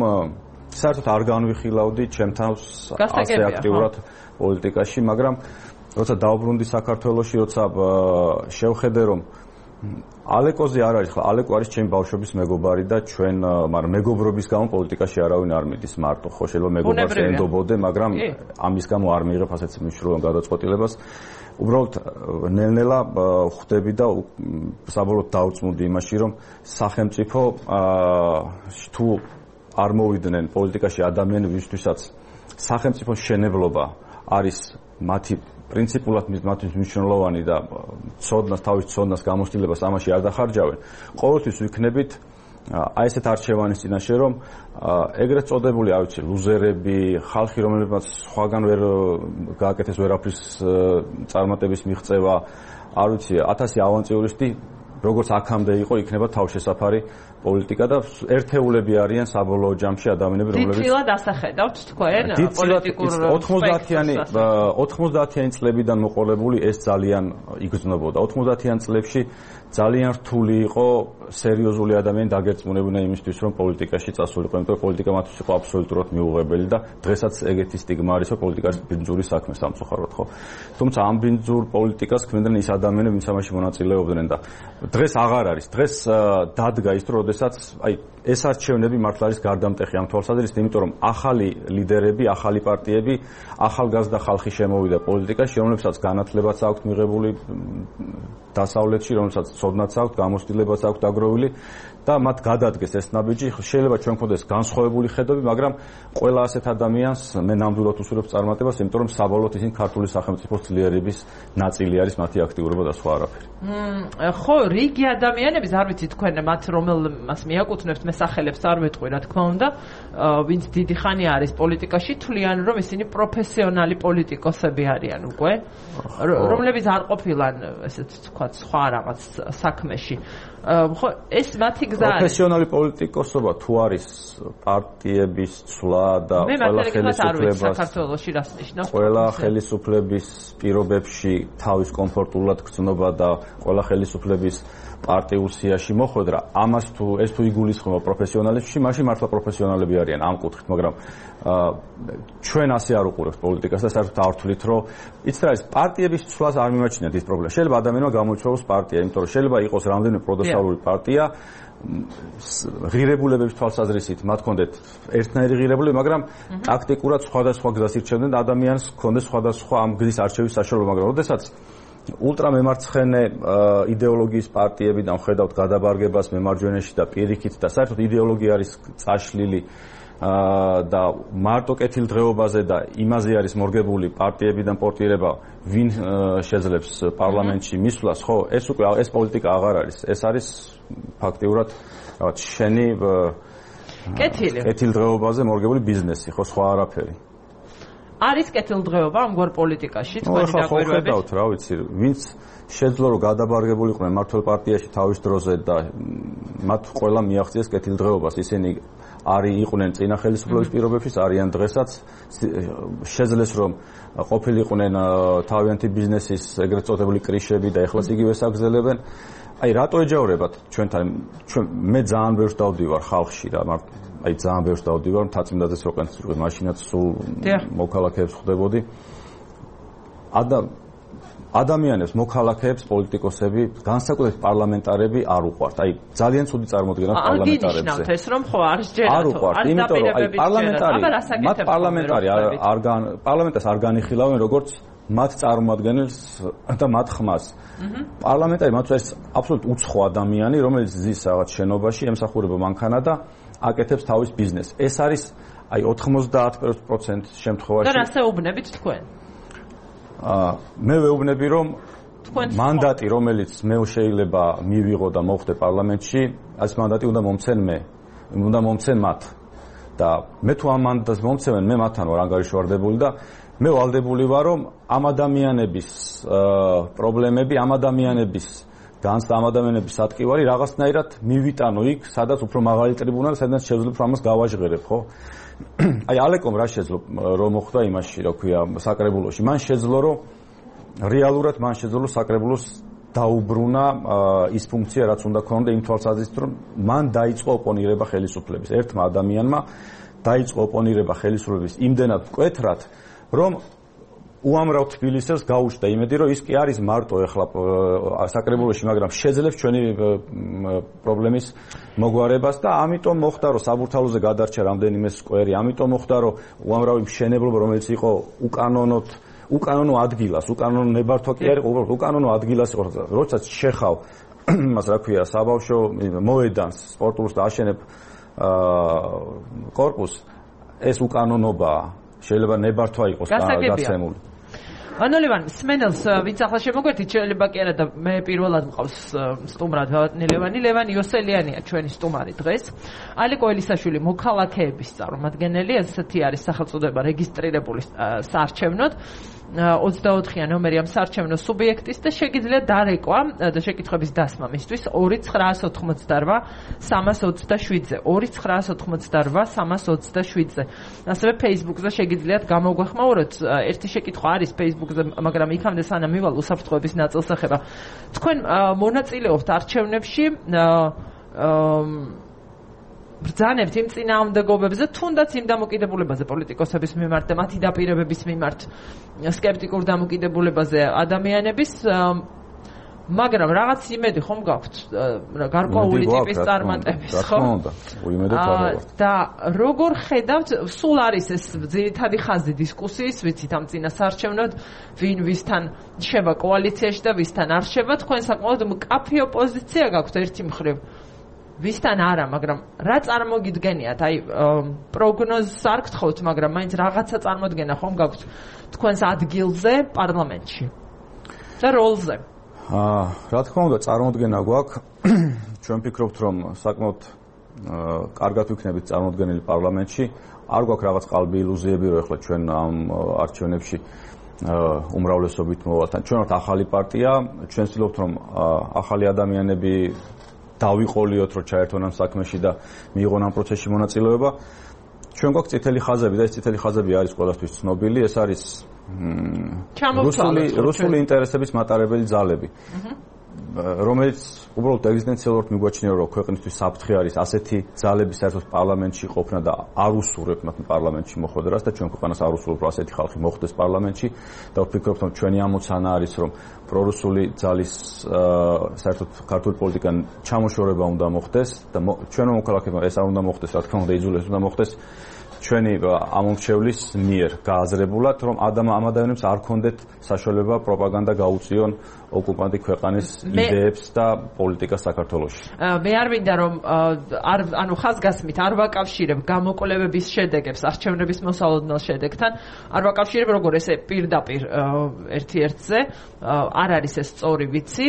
საერთოდ არ განვიხილავდი ჩემთავს ასე აქტიურად პოლიტიკაში, მაგრამ როცა დავბრუნდი საქართველოში, როცა შევხედე რომ ალეკოზე არ არის, ალეკო არის ჩემი ბავშვობის მეგობარი და ჩვენ, მაგრამ მეგობრობის გამო პოლიტიკაში არავინ არ მიდის მარტო, ხო შეიძლება მეგობარს ენდობოდე, მაგრამ ამის გამო არ მიიღებ ასეთ მნიშვნელოვან გადაწყვეტილებას. უბრალოდ ნელ-ნელა ხვდები და საბოლოოდ დავწმუნდი იმაში, რომ სახელმწიფო თუ არ მოვიდნენ პოლიტიკაში ადამიანები, ვისთვისაც სახელმწიფოს შენებლობა არის მათი პრინციპულად მათთვის მნიშვნელოვანი და თავის ცოდნას გამოცდილებას ამაში არ დახარჯავენ. ყოველთვის ვიქნებით აი ესეთ არჩევანის წინაშე, რომ ეგრეთ წოდებული, არ ვიცი, ლუზერები, ხალხი, რომელებმაც სხვაგან ვერ გააკეთეს ვერაფრის წარმატების მიღწევა, არ ვიცი, 1000 ავანტიურისტი როგორც აქამდე იყო, იქნება თავშესაფარი პოლიტიკა და ერთეულები არიან საბოლოო ჯამში ადამიანები, რომლებიც დიდწილად ასახედავთ თქვენ პოლიტიკურ 90-იანი წლებიდან მოყოლებული ეს ძალიან იგრძნობოდა. 90-იან წლებში ძალიან რთული იყო სერიოზული ადამიანი დაგერწმუნებინა იმისთვის, რომ პოლიტიკაში წასულიყო, იმიტომ რომ პოლიტიკა მათთვის იყო აბსოლუტურად მიუღებელი და დღესაც ეგეთი სტიგმა არის, რომ პოლიტიკა არის ბინძური საქმე სამწუხაროდ, ხო? თუმცა ამ ბინძურ პოლიტიკას ქმნიდნენ ის ადამიანები, ვინც ამაში მონაწილეობდნენ და დღეს აღარ არის. დღეს დადგა ის, რომ როდესაც აი ეს არჩევნები მართლა არის გარდამტეხი ამ თვალსაზრისით, იმიტომ რომ ახალი ლიდერები, ახალი პარტიები, ახალგაზრდა ხალხი შემოვიდა პოლიტიკაში, რომლებსაც განათლებაც აქვთ მიღებული დასავლეთში, რომელსაც ცოდნაც აქვთ, გამოცდილებაც აქვთ დაგროვილი და მათ გადადგეს ეს ნაბიჯი. შეიძლება ჩვენ გქონდეს განსხვავებული ხედვები, მაგრამ ყველა ასეთ ადამიანს მე ნამდვილად უსურვებ წარმატებას, იმიტომ რომ საბოლოოდ ისინი ქართული სახელმწიფოს ძლიერების ნაწილი არის მათი აქტიურობა და სხვა არაფერი. ხო, რიგი ადამიანების, არ ვიცი თქვენ მათ რომელმას მიაკუთვნებთ, მე სახელებს არ ვეტყვი, რა თქმა უნდა, ვინც დიდი ხანი არის პოლიტიკაში, თვლიან რომ ისინი პროფესიონალი პოლიტიკოსები არიან უკვე, რომლებიც არ ყოფილან, ესეც თქვა, სხვა რაღაც საქმეში. ხო, ეს მათი გზა არის. პროფესიონალი პოლიტიკოსობა თუ არის პარტიების ცვლა და ყველა ხელისუფლების პირობებში თავის კომფორტულად გრძნობა და ყველა ხელისუფლების პარტიულ სიაში მოხვედრა, ამას თუ ეს თუ იგულისხმება პროფესიონალებში, მაშინ მართლა პროფესიონალები არიან ამ კუთხით, მაგრამ ჩვენ ასე არ უყურებთ პოლიტიკას და საერთოდ არ ვთვლით, რომ იცით რა არის, პარტიების ცვლას არ მიმაჩნიათ ის პრობლემა. შეიძლება ადამიანმა გამოიცვალოს პარტია, იმიტომ რომ შეიძლება იყოს რამდენიმე პროდესალური პარტია, ღირებულებების თვალსაზრისით მათ ჰქონდეთ ერთნაირი ღირებულება, მაგრამ ტაქტიკურად სხვადასხვა გზას ირჩევდნენ და ადამიანს ჰქონდეს სხვადასხვა ამ გზის არჩევის საშუალება, მაგრამ როდესაც ულტრამემარცხენე იდეოლოგიის პარტიებიდან ხედავთ გადაბარგებას მემარჯვენეში და პირიქით და საერთოდ იდეოლოგია არის წაშლილი და მარტო კეთილდღეობაზე და იმაზე არის მორგებული პარტიებიდან პორტირება, ვინ შეძლებს პარლამენტში მისვლას, ხო, ეს უკვე ეს პოლიტიკა აღარ არის. ეს არის ფაქტიურად რაღაც შენი კეთილდღეობაზე მორგებული ბიზნესი, ხო, სხვა არაფერი. არის კეთილდღეობა ამგვარ პოლიტიკაში თქვენი დაკვირვებით? ხედავთ, რა ვიცი, ვინც შეძლო რომ გადაბარგებულიყვნენ მართლ პარტიაში თავის დროზე და მათ ყველა მიაღწიეს კეთილდღეობას, ისინი იყვნენ წინა ხელისუფლების პირობებში, არიან დღესაც, შეძლეს რომ ყოფილიყვნენ თავიანთი ბიზნესის ეგრეთ წოდებული კრიშები და ეხლაც იგივეს აგზელებენ. აი რატო ეჯავრებათ ჩვენთან? მე ძალიან ბევრს დავდივარ ხალხში რა, აი ძალიან ბევრს დავდივარ, მთაწმინდაძეს რო ყენწვი, მაშინაც სულ მოქალაქეებს ხვდებოდი. ადამიანებს, მოქალაქეებს, პოლიტიკოსები, განსაკუთრებით პარლამენტარები არ უყვართ. აი ძალიან ცუდი წარმოდგენა პარლამენტარებზე. აღინიშნავთ ეს რომ ხო არის ჯერათო. არ უყვართ, იმიტომ რომ აი პარლამენტარს არ განიხილავენ როგორც მათ წარმოადგენელს და მათ ხმას. პარლამენტარი მათთვის აბსოლუტურად უცხო ადამიანი, რომელიც ზის რაღაც შენობაში, ემსახურება მანქანა და აკეთებს თავის ბიზნესს. ეს არის აი 90% შემთხვევაში. და რას ეუბნებით თქვენ? მე ვეუბნები რომ მანდატი რომელიც მე შეიძლება მივიღო და მოვხდე პარლამენტში, ეს მანდატი უნდა მომცენ მათ. და მე თუ ამ მანდატს მომცემენ, მე მათთან ვარ ანგარიშვარდებული და მე ვალდებული ვარ რომ ამ ადამიანების პრობლემები, ამ ადამიანების განცდა, ამ ადამიანების ატკივარი რაღაცნაირად მივიტანო იქ, სადაც უფრო მაღალი ტრიბუნალი, სადაც შეძლებ ამას გავაჟღერებ, ხო? აი ალეკომ რა შეძლო რომ მოხდა იმაში, რა ქვია, საკრებულოში. მან შეძლო რომ რეალურად მან შეძლო საკრებულოს დაუბრუნა ის ფუნქცია, რაც უნდა ქონოდა იმ თვალსაზრისით, რომ მან დაიწყო ოპონირება ხელისუფლების. ერთმა ადამიანმა დაიწყო ოპონირება ხელისუფლების იმდენად მკვეთრად, რომ უამრავ თბილისელს გაუჩნდა იმედი, რომ ის კი არის მარტო ეხლა საკრებულოში, მაგრამ შეძლებს ჩვენი პრობლემის მოგვარებას და ამიტომ მოხდა, რომ საბურთალოზე გადარჩა რამდენიმე სკვერი, ამიტომ მოხდა, რომ უამრავი მშენებლობა, რომელიც იყო უკანონო ადგილას, უკანონო ნებართვა კი არ იყო, უბრალოდ უკანონო ადგილას იყო, როდესაც შეხავ იმას, რა ქვია, საბავშვო მოედანს, სპორტულს და აშენებ კორპუსს, ეს უკანონობაა. შეიძლება ნებართვა იყოს გასცემული. ანოლევან სმენელს ვინც ახლა შემოგვერთით, შეიძლება კი არა და მე პირველად მყავს სტუმრად ლევანი. ლევანი იოსელიანია ჩვენი სტუმარი დღეს. ალიკო ელისაშვილი მოქალაქეების წარმომადგენელი, ასეთი არის სახელწოდება რეგისტრირებული საარჩევნოდ. 24-იან ნომერი ამ საარჩევნო სუბიექტის და შეგიძლიათ დარეკვა და შეკითხვების დასმა მისთვის 2987-327-ზე 2987-327-ზე. ასევე Facebook-ზე შეგიძლიათ გამოგვეხმაუროთ. ერთი შეკითხვა არის Facebook-ზე, მაგრამ იქამდე სანამ მივალ უსაფრთხოების ნაწილს ეხება. თქვენ მონაწილეობთ არჩევნებში ბრძანებთ იმ წინააღმდეგობებზე, თუნდაც იმ დამოკიდებულებაზე პოლიტიკოსების მიმართ და მათი დაპირებების მიმართ სკეპტიკურ დამოკიდებულებაზე ადამიანების, მაგრამ რაღაც იმედი ხომ გაქვთ გარკვეული ტიპის წარმატების, ხო? და როგორ ხედავთ, სულ არის ეს ძირითადი ხაზი დისკუსიის, ვიცით ამ წინა საარჩევნოდ, ვინ ვისთან შევა კოალიციაში და ვისთან არ შევა, თქვენ საკმაოდ მკაფიო პოზიცია გაქვთ ერთი მხრივ. ვისთან არა, მაგრამ რა წარმოგიდგენიათ? აი პროგნოზს არ გთხოვთ, მაგრამ მაინც რაღაცა წარმოდგენა ხომ გაქვთ თქვენს ადგილზე პარლამენტში და როლზე? რა თქმა უნდა, წარმოდგენა გვაქვს. ჩვენ ვფიქრობთ, რომ საკმაოდ კარგად ვიქნებით წარმოდგენილი პარლამენტში. არ გვაქვს რაღაც ყალბი ილუზიები, რომ ახლა ჩვენ ამ არჩევნებში უმრავლესობით მოვალთ. ჩვენ ვართ ახალი პარტია, ჩვენ ვცდილობთ, რომ ახალი ადამიანები დავიყოლიოთ, რომ ჩაერთონ ამ საქმეში და მიიღონ ამ პროცესში მონაწილეობა. ჩვენ გვაქვს წითელი ხაზები და ეს წითელი ხაზები არის ყველასთვის ცნობილი. ეს არის რუსული ინტერესების მატარებელი ძალები. რომელიც უბრალოდ ეგზისტენციალურად მიგვაჩნია, რომ ქვეყნისთვის საფრთხე არის ასეთი ძალების საერთოდ პარლამენტში ყოფნა და არ უსურვებთ მათ პარლამენტში მოხვედრას და ჩვენ ქვეყანას არ უსურვებთ, რომ ასეთი ხალხი მოხვდეს პარლამენტში და ვფიქრობ, რომ ჩვენი ამოცანა არის, რომ პრორუსული ძალის საერთოდ ქართული პოლიტიკան ჩამოშორება უნდა მოხდეს და ჩვენო მოქალაქეებმა ეს არ უნდა მოხდეს, რა თქმა უნდა, იძულეს უნდა მოხდეს ჩვენი ამომრჩევლის მიერ გააზრებულად, რომ ამ ადამიანებს არ ქონდეთ საშუალება პროპაგანდა გაუწიონ ოკუპანტი ქვეყანის იდეებს და პოლიტიკას საქართველოში. მე არ მინდა რომ ხაზგასმით არ ვაკავშირებ გამოკვლევების შედეგებს არჩევნების მოსალოდნელ შედეგთან, არ ვაკავშირებ როგორ ესე პირდაპირ ერთ-ერთზე, არ არის ეს სწორი ვიცი,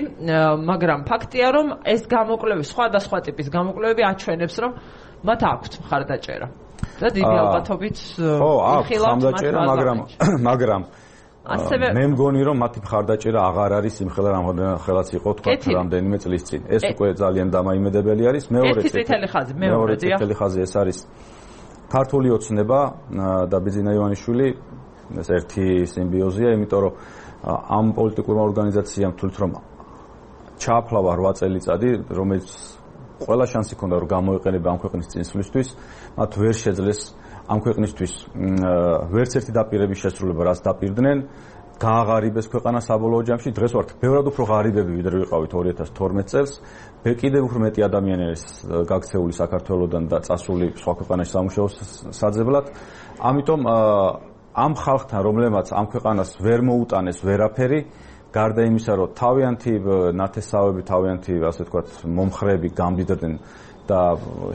მაგრამ ფაქტია რომ ეს გამოკვლევები, სხვადასხვა ტიპის გამოკვლევები აჩვენებს რომ მათ აქვთ მხარდაჭერა. და დიდი ალბათობით იხილავთ მაგრამ ასევე მე მგონი რომ მათი მხარდაჭერა აღარ არის იმ ხელაც იყო თქვა რამდენიმე წლის წინ. ეს უკვე ძალიან დამაიმედებელი არის. მეორე წითელი ხაზი ეს არის ქართული ოცნება და ბიძინა ივანიშვილი, ეს ერთი სიმბიოზია, იმიტომ რომ ამ პოლიტიკურმა ორგანიზაციამ თulit რომ ჩააფლავა 8 წელიწადი, რომელიც ყველა შანსი ჰქონდა რომ გამოიყენება ამ ქვეყნის წინსვლისთვის, მათ ვერ შეძლეს ამ ქვეყნისთვის ვერც ერთი დაპირების შესრულება, რაც დაპირდნენ, გააღარიბეს ქვეყანა საბოლოო ჯამში. დღეს ვართ ბევრად უფრო ღარიბები, ვიდრე ვიყავით 2012 წელს. კიდევ უფრო მეტი ადამიანი არის გაქცეული საქართველოსდან და წასული სხვა ქვეყანაში სამუშაო საძებლად. ამიტომ ამ ხალხთან, რომლებმაც ამ ქვეყანას ვერ მოუტანეს ვერაფერი, გარდა იმისა, რომ თავიანთი ნათესავები, თავიანთი, ასე ვთქვათ, მომხრეები გამდიდრდნენ და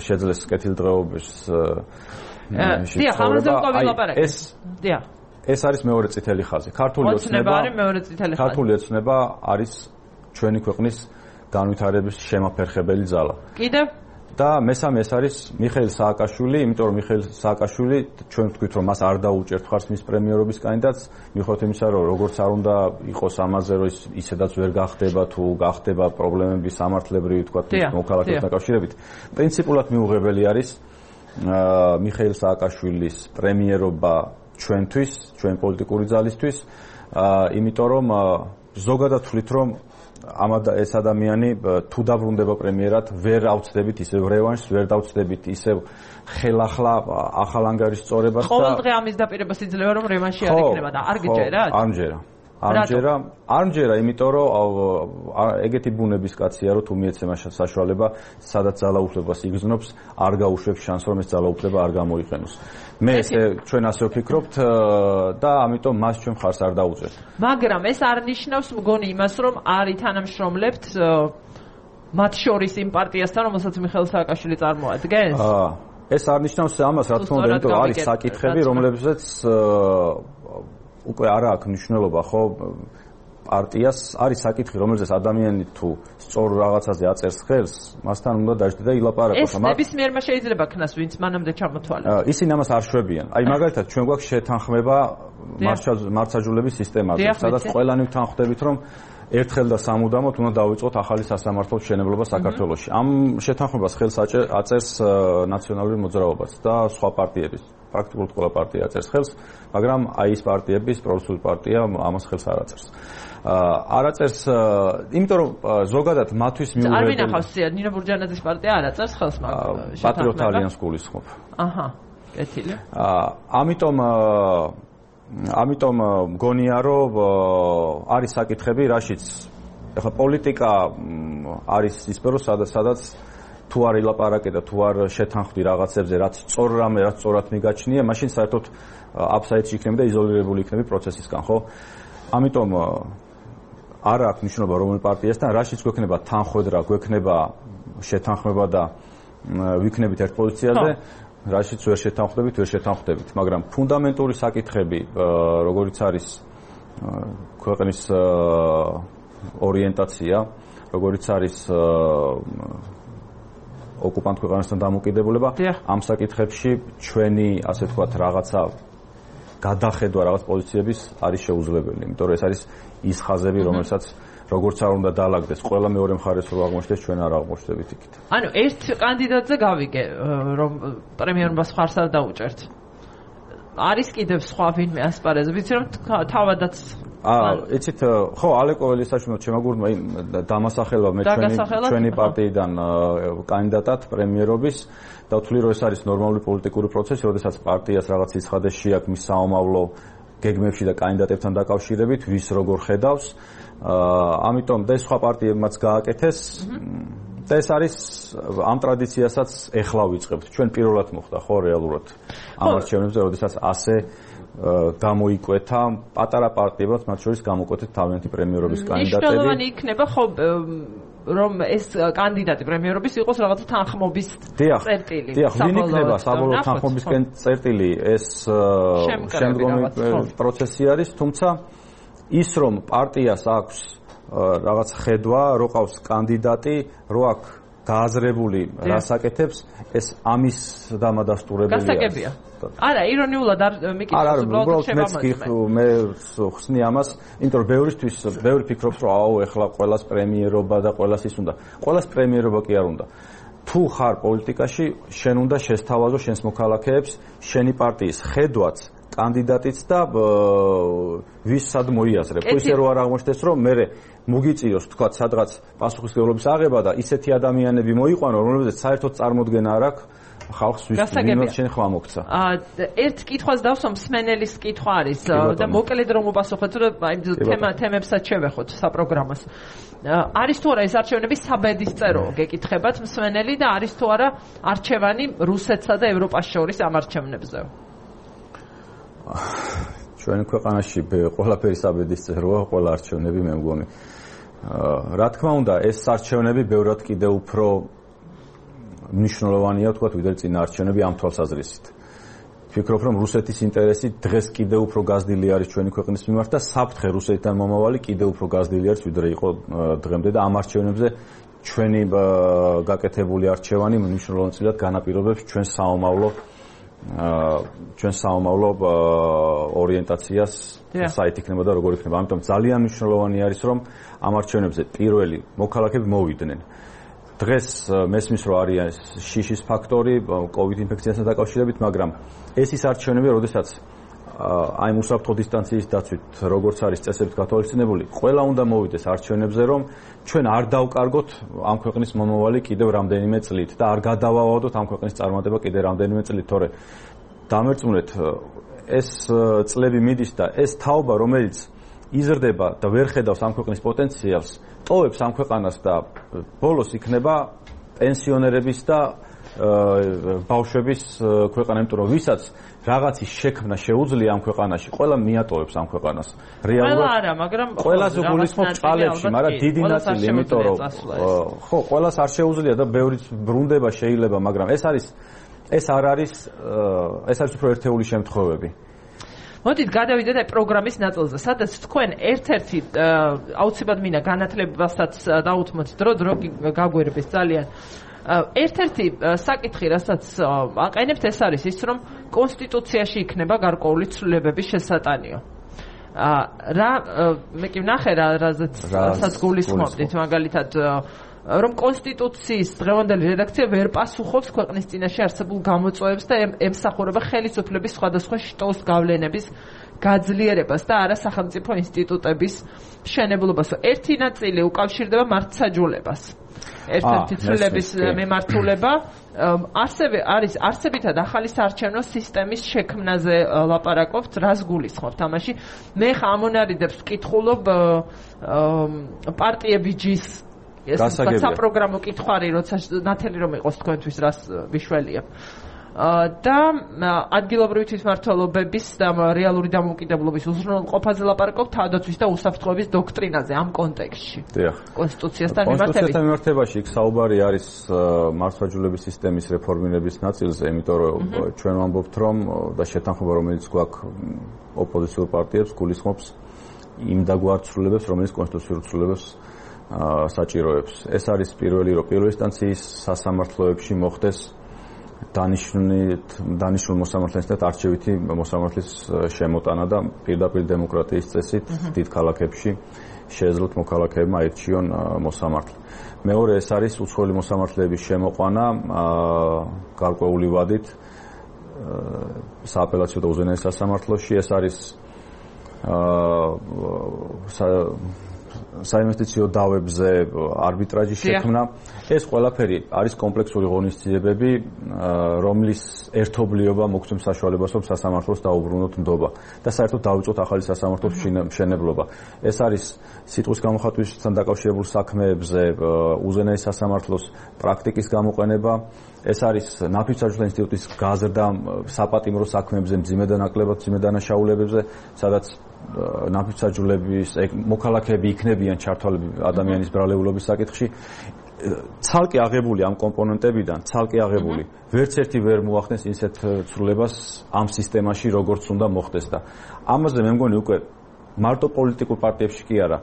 შეძლეს კეთილდღეობის ეს არის მეორე წითელი ხაზი. ქართული ოცნება არის ჩვენი ქვეყნის განვითარების შემაფერხებელი ძალა. კიდევ და მესამე ეს არის მიხეილ სააკაშვილი, იმიტომ რომ მიხეილ სააკაშვილი ჩვენ ვთქვით რომ მას არ დაუჭერთ ხარს მის პრემიერობის კანდიდატს, მიუხედავად იმისა რომ როგორც არ უნდა იყოს ამაზე რომ ისედაც ვერ გახდება თუ გახდება პრობლემები სამართლებრივი თქვა მოქალაქეებთან დაკავშირებით. პრინციპულად მიუღებელი არის მიხეილ სააკაშვილის პრემიერობა ჩვენთვის, ჩვენ პოლიტიკური ძალისთვის, იმიტომ რომ ზოგადად ვთვლით რომ ეს ადამიანი თუ დაბრუნდება პრემიერად, ვერ ავწდებით ისევ რევანშს, ვერ დავწდებით ისევ ხელახლა ახალ ანგარიშს სწორებას და ყოველდღე ამის დაპირებას იძლევა რომ რევანში არ იქნება და არ გიჯერათ? არ მჯერა, იმიტომ რომ ეგეთი ბუნების კაცია, რომ თუ მიეცემა საშუალება, სადაც ძალაუფლებას იგრძნობს, არ გაუშვებს შანსს, რომ ეს ძალაუფლება არ გამოიყენოს. მე ჩვენ ასე ვფიქრობთ და ამიტომ მას ჩვენ ხარს არ დაუჭერთ. მაგრამ ეს არ ნიშნავს მგონი იმას, რომ არ ითანამშრომლებთ მათ შორის იმ პარტიასთან, რომელსაც მიხეილ სააკაშვილი წარმოადგენს? ეს არ ნიშნავს ამას, რა თქმა უნდა, იმიტომ რომ არის საკითხები, რომლებზეც უკვე არა აქვს მნიშვნელობა, ხო, პარტიას არის საკითხი, რომელზეც ადამიანი თუ სწორ რაღაცაზე აწერს ხელს, მასთან უნდა დაждდე და ილაპარაკოს. ეს ნებისმიერმა შეიძლება ქნას, ვინც მანამდე ჩამოთვალა. ისინი ამას არ შვებიან. აი მაგალითად, ჩვენ გვაქვს შეთანხმება მართლმსაჯულების სისტემაზე, სადაც ყველანი ვთანხმდებით, რომ ერთხელ და სამუდამოდ უნდა დავიწყოთ ახალი სასამართლოს მშენებლობა საქართველოში. ამ შეთანხმებას ხელს აწერს ნაციონალური მოძრაობაც და სხვა პარტიების. პრაქტიკულად ყველა პარტია აწერს ხელს, მაგრამ აი ეს პარტიების, პრორუსული პარტია ამას ხელს არ აწერს. არ აწერს, იმიტომ რომ ზოგადად მათთვის მიუღებელი. არ ვინახავს ნინო ბურჯანაძის პარტია არ აწერს ხელს მაგ პატრიოტთა ალიანსს გულისხმობ. აჰა, კეთილი. ამიტომ მგონია რომ არის საკითხები, რაშიც ეხლა პოლიტიკა არის ის სფერო, სადაც თუ არ ილაპარაკე და თუ არ შეთანხმდი რაღაცებზე, რაც სწორ რამე, რაც სწორად მიგაჩნია, მაშინ საერთოდ აფსაიდში იქნები და იზოლირებული იქნები პროცესისგან, ხო? ამიტომ არ აქვს მნიშვნელობა რომელი პარტიასთან, რაშიც გვექნება თანხმედრა, გვექნება შეთანხმება და ვიქნებით ერთ პოზიციაზე, რაშიც ვერ შეთანხმდებით, მაგრამ ფუნდამენტური საკითხები, როგორიც არის ქვეყნის ორიენტაცია, როგორიც არის ოკუპანტ ქვეყანასთან დამოკიდებულება, ამ საკითხებში ჩვენი, ასე ვთქვათ, რაღაცა გადახედვა რაღაც პოზიციების არის შეუძლებელი, იმიტომ რომ ეს არის ის ხაზები, რომელსაც როგორც არ უნდა დაალაგდეს, ყველა მეორე მხარეს რო აღმოჩნდეს, ჩვენ არ აღმოჩნდებით იქით. ანუ ერთ კანდიდატზე გავიგე, რომ პრემიერობას ხარს არ დაუჭერთ. არის კიდევ სხვა ვინმე ასპარეზი, ვიცი რომ თავადაც იცით, ხო, ალეკო ელისაშვილმა შემაგურმა დამასახელვა მე ჩვენი პარტიიდან კანდიდატად პრემიერობის და ვთვლი, რომ ეს არის ნორმალური პოლიტიკური პროცესი, როდესაც პარტიას რაღაც ცხადეში აქვს მის საომავლო გეგმებში და კანდიდატებთან დაკავშირებით, ვის როგორ ხედავს. ამიტომ და სხვა პარტიებმაც გააკეთეს და ეს არის ამ ტრადიციასაც ეხლა ვიწყებთ. ჩვენ პირველად მოხდა ხო რეალურად ამ არჩევნებზე, როდესაც ასე გამოიკვეთა პატარა პარტიებად, მათ შორის გამოკვეთეთ თავიანთი პრემიერობის კანდიდატები. მნიშვნელოვანი იქნება ხო რომ ეს კანდიდატი პრემიერობის იყოს რაღაცა თანხმობის წერტილი. დიახ, ვინ იქნება საბოლოო თანხმობის წერტილი, ეს შემდგომი პროცესი არის, თუმცა ის რომ პარტიას აქვს რაღაც ხედვა, რო ყავს კანდიდატი, რო აქვს გააზრებული რას აკეთებს, ეს ამის დამადასტურებელია. გასაგებია. არა, ირონიულად არ მიკითხავს, უბრალოდ მე ხსნი ამას, იმიტომ რომ ბევრი ფიქრობს, რომ აუ, ეხლა ყველას პრემიერობა და ყველას ის უნდა. ყველას პრემიერობა კი არ უნდა. თუ ხარ პოლიტიკაში, შენ უნდა შესთავაზო შენს მოქალაქეებს, შენი პარტიის ხედვაც, კანდიდატიც და ვის სად მოიაზრებ. ხო ისე რო არ აღმოჩნდეს, რომ მე მოგიწიოს თქვა სადღაც პასუხისმგებლობის აღება და ისეთი ადამიანები მოიყვანო, რომლებზეც საერთოდ წარმოდგენა არ აქვს ხალხს ვის შენ ხმა მოგცა. ერთ კითხვას დავსვა, მსმენელის კითხვა არის და მოკლედ რომ უპასუხოთ, რომ აი თემებსაც შევეხოთ საპროგრამოს. არის თუ არა ეს არჩევნები საბედისწერო გეკითხებათ მსმენელი და არის თუ არა არჩევანი რუსეთსა და ევროპას შორის ამ არჩევნებზე? ჩვენი ქვეყანაში ყველაფერი საბედისწეროა, ყველა არჩევნები მე მგონი. რა თქმა უნდა, ეს არჩევნები ბევრად კიდევ უფრო მნიშვნელოვანია, თქვათ, ვიდრე წინა არჩევნები ამ თვალსაზრისით. ვფიქრობ, რომ რუსეთის ინტერესი დღეს კიდევ უფრო გაზრდილი არის ჩვენი ქვეყნის მიმართ და საფრთხე რუსეთთან მომავალი კიდევ უფრო გაზრდილი არის, ვიდრე იყო დღემდე და ამ არჩევნებზე ჩვენი გაკეთებული არჩევანი მნიშვნელოვნად განაპირობებს ჩვენ საომავლო ორიენტაციას, საით იქნება და როგორ იქნება. ამიტომ ძალიან მნიშვნელოვანი არის, რომ ამ არჩევნებზე პირველი მოქალაქეები მოვიდნენ. დღეს მესმის რომ არის შიშის ფაქტორი COVID ინფექციასთან დაკავშირებით, მაგრამ ეს ის არჩევნები, როდესაც აი უსაფრთხო დისტანციის დაცვით, როგორც არის წესებით გათვალისწინებული, ყველა უნდა მოვიდეს არჩევნებზე, რომ ჩვენ არ დავკარგოთ ამ ქვეყნის მომავალი კიდევ რამდენიმე წლით და არ გადავავადოთ ამ ქვეყნის წარმატება კიდევ რამდენიმე წლით, თორე დამერწმუნეთ, ეს წლები მიდის და ეს თაობა, რომელიც იზრდება და ვერ ხედავს ამ ქვეყნის პოტენციალს, ტოვებს ამ ქვეყანას და ბოლოს იქნება პენსიონერების და ბავშვების ქვეყანა, იმიტომ რომ ვისაც რაღაცის შექმნა შეუძლია ამ ქვეყანაში, ყველა მიატოვებს ამ ქვეყანას. რეალურად არა, მაგრამ ყველაზე გულისხმობ ჭალებში, მაგრამ დიდი ნაწილი, იმიტომ რომ ხო, ყველას არ შეუძლია და ბევრიც ბრუნდება შეიძლება, მაგრამ ეს არ არის უფრო ერთეული შემთხვევები. მოდით გადავიდეთ აი პროგრამის ნაწილზე, სადაც თქვენ ერთ-ერთი აუცილებლად მინდა განათლებასაც დაუთმოთ დრო გაგვერების ძალიან. ერთ-ერთი საკითხი, რასაც აყენებთ, ეს არის ის, რომ კონსტიტუციაში იქნება გარკვეული ცვლილებების შესატანიო. მე კი ვნახე რასაც გულისხმობდით, მაგალითად რომ კონსტიტუციის დღევანდელი რედაქცია ვერ პასუხობს ქვეყნის წინაშე არსებულ გამოწვევებს და ემსახურება ხელისუფლების სხვადასხვა შტოს გავლენების გაძლიერებას და არა სახელმწიფო ინსტიტუტების მშენებლობას. ერთი ნაწილი უკავშირდება მართლმსაჯულებას. ერთ-ერთი ცვლილების მემართულება არის არსებითად ახალი საარჩევნო სისტემის შექმნაზე ლაპარაკობთ, რას გულისხმობთ ამაში? მე ამონარიდებს ვკითხულობ პარტიები ჯის საპროგრამო კითხვარი, როცა ნათელი რომ იყოს თქვენთვის, რას ვიშველია. და ადგილობრივი თვითმმართველობების და რეალური დამოუკიდებლობის უზრუნველყოფაზე ლაპარაკობთ, თავდაცვის და უსაფრთხოების დოქტრინაზე ამ კონტექსტში. კონსტიტუციასთან მიმართებით. კონსტიტუციასთან მიმართებაში იქ საუბარი არის მართლმსაჯულების სისტემის რეფორმირების ნაწილზე, იმიტომ რომ ჩვენ ვამბობთ, რომ და შეთანხმება, რომელიც გვაქვს ოპოზიციურ პარტიებს, გულისხმობს იმ დაგვარ ცვლილებებს, რომელიც კონსტიტუციურ ცვლილებებს საჭიროებს. ეს არის პირველი ინსტანციის სასამართლოებში მოხდეს დანიშნულ მოსამართლეებთან არჩევითი მოსამართლის შემოტანა და პირდაპირ დემოკრატიის წესით დიდ ქალაქებში შეეძლოთ მოქალაქეებმა აირჩიონ მოსამართლე. მეორე, ეს არის უცხოელი მოსამართლეების შემოყვანა გარკვეული ვადით სააპელაციო და უზენაეს სასამართლოში. ეს არის საინვესტიციო დავებზე არბიტრაჟის შექმნა ეს ყველაფერი არის კომპლექსური ღონისძიებები რომლის ერთობლიობა მოგცემს საშუალებას რომ სასამართლოს დაუბრუნოთ ნდობა და საერთოდ დავიწყოთ ახალი სასამართლოს მშენებლობა ეს არის სიტყვის გამოხატვისთან დაკავშირებულ საქმეებზე უზენაეს სასამართლოს პრაქტიკის გამოყენება ეს არის ნაფიც-საჯულე ინსტიტუტის გაზრდა საპატიმრო საქმეებზე მძიმე დანაკლებად მძიმე დანაშაულებებზე სადაც ნაფიც-საჯულების მოქალაქეები იქნებიან ჩართვალები ადამიანის ბრალეულობის საკითხში ცალკე აღებული ამ კომპონენტებიდან ცალკე აღებული ვერც ერთი ვერ მოახდენს ისეთ ცვლილებას ამ სისტემაში როგორც უნდა მოხდეს და ამაზე მე მგონი უკვე მარტო პოლიტიკურ პარტიებში კი არა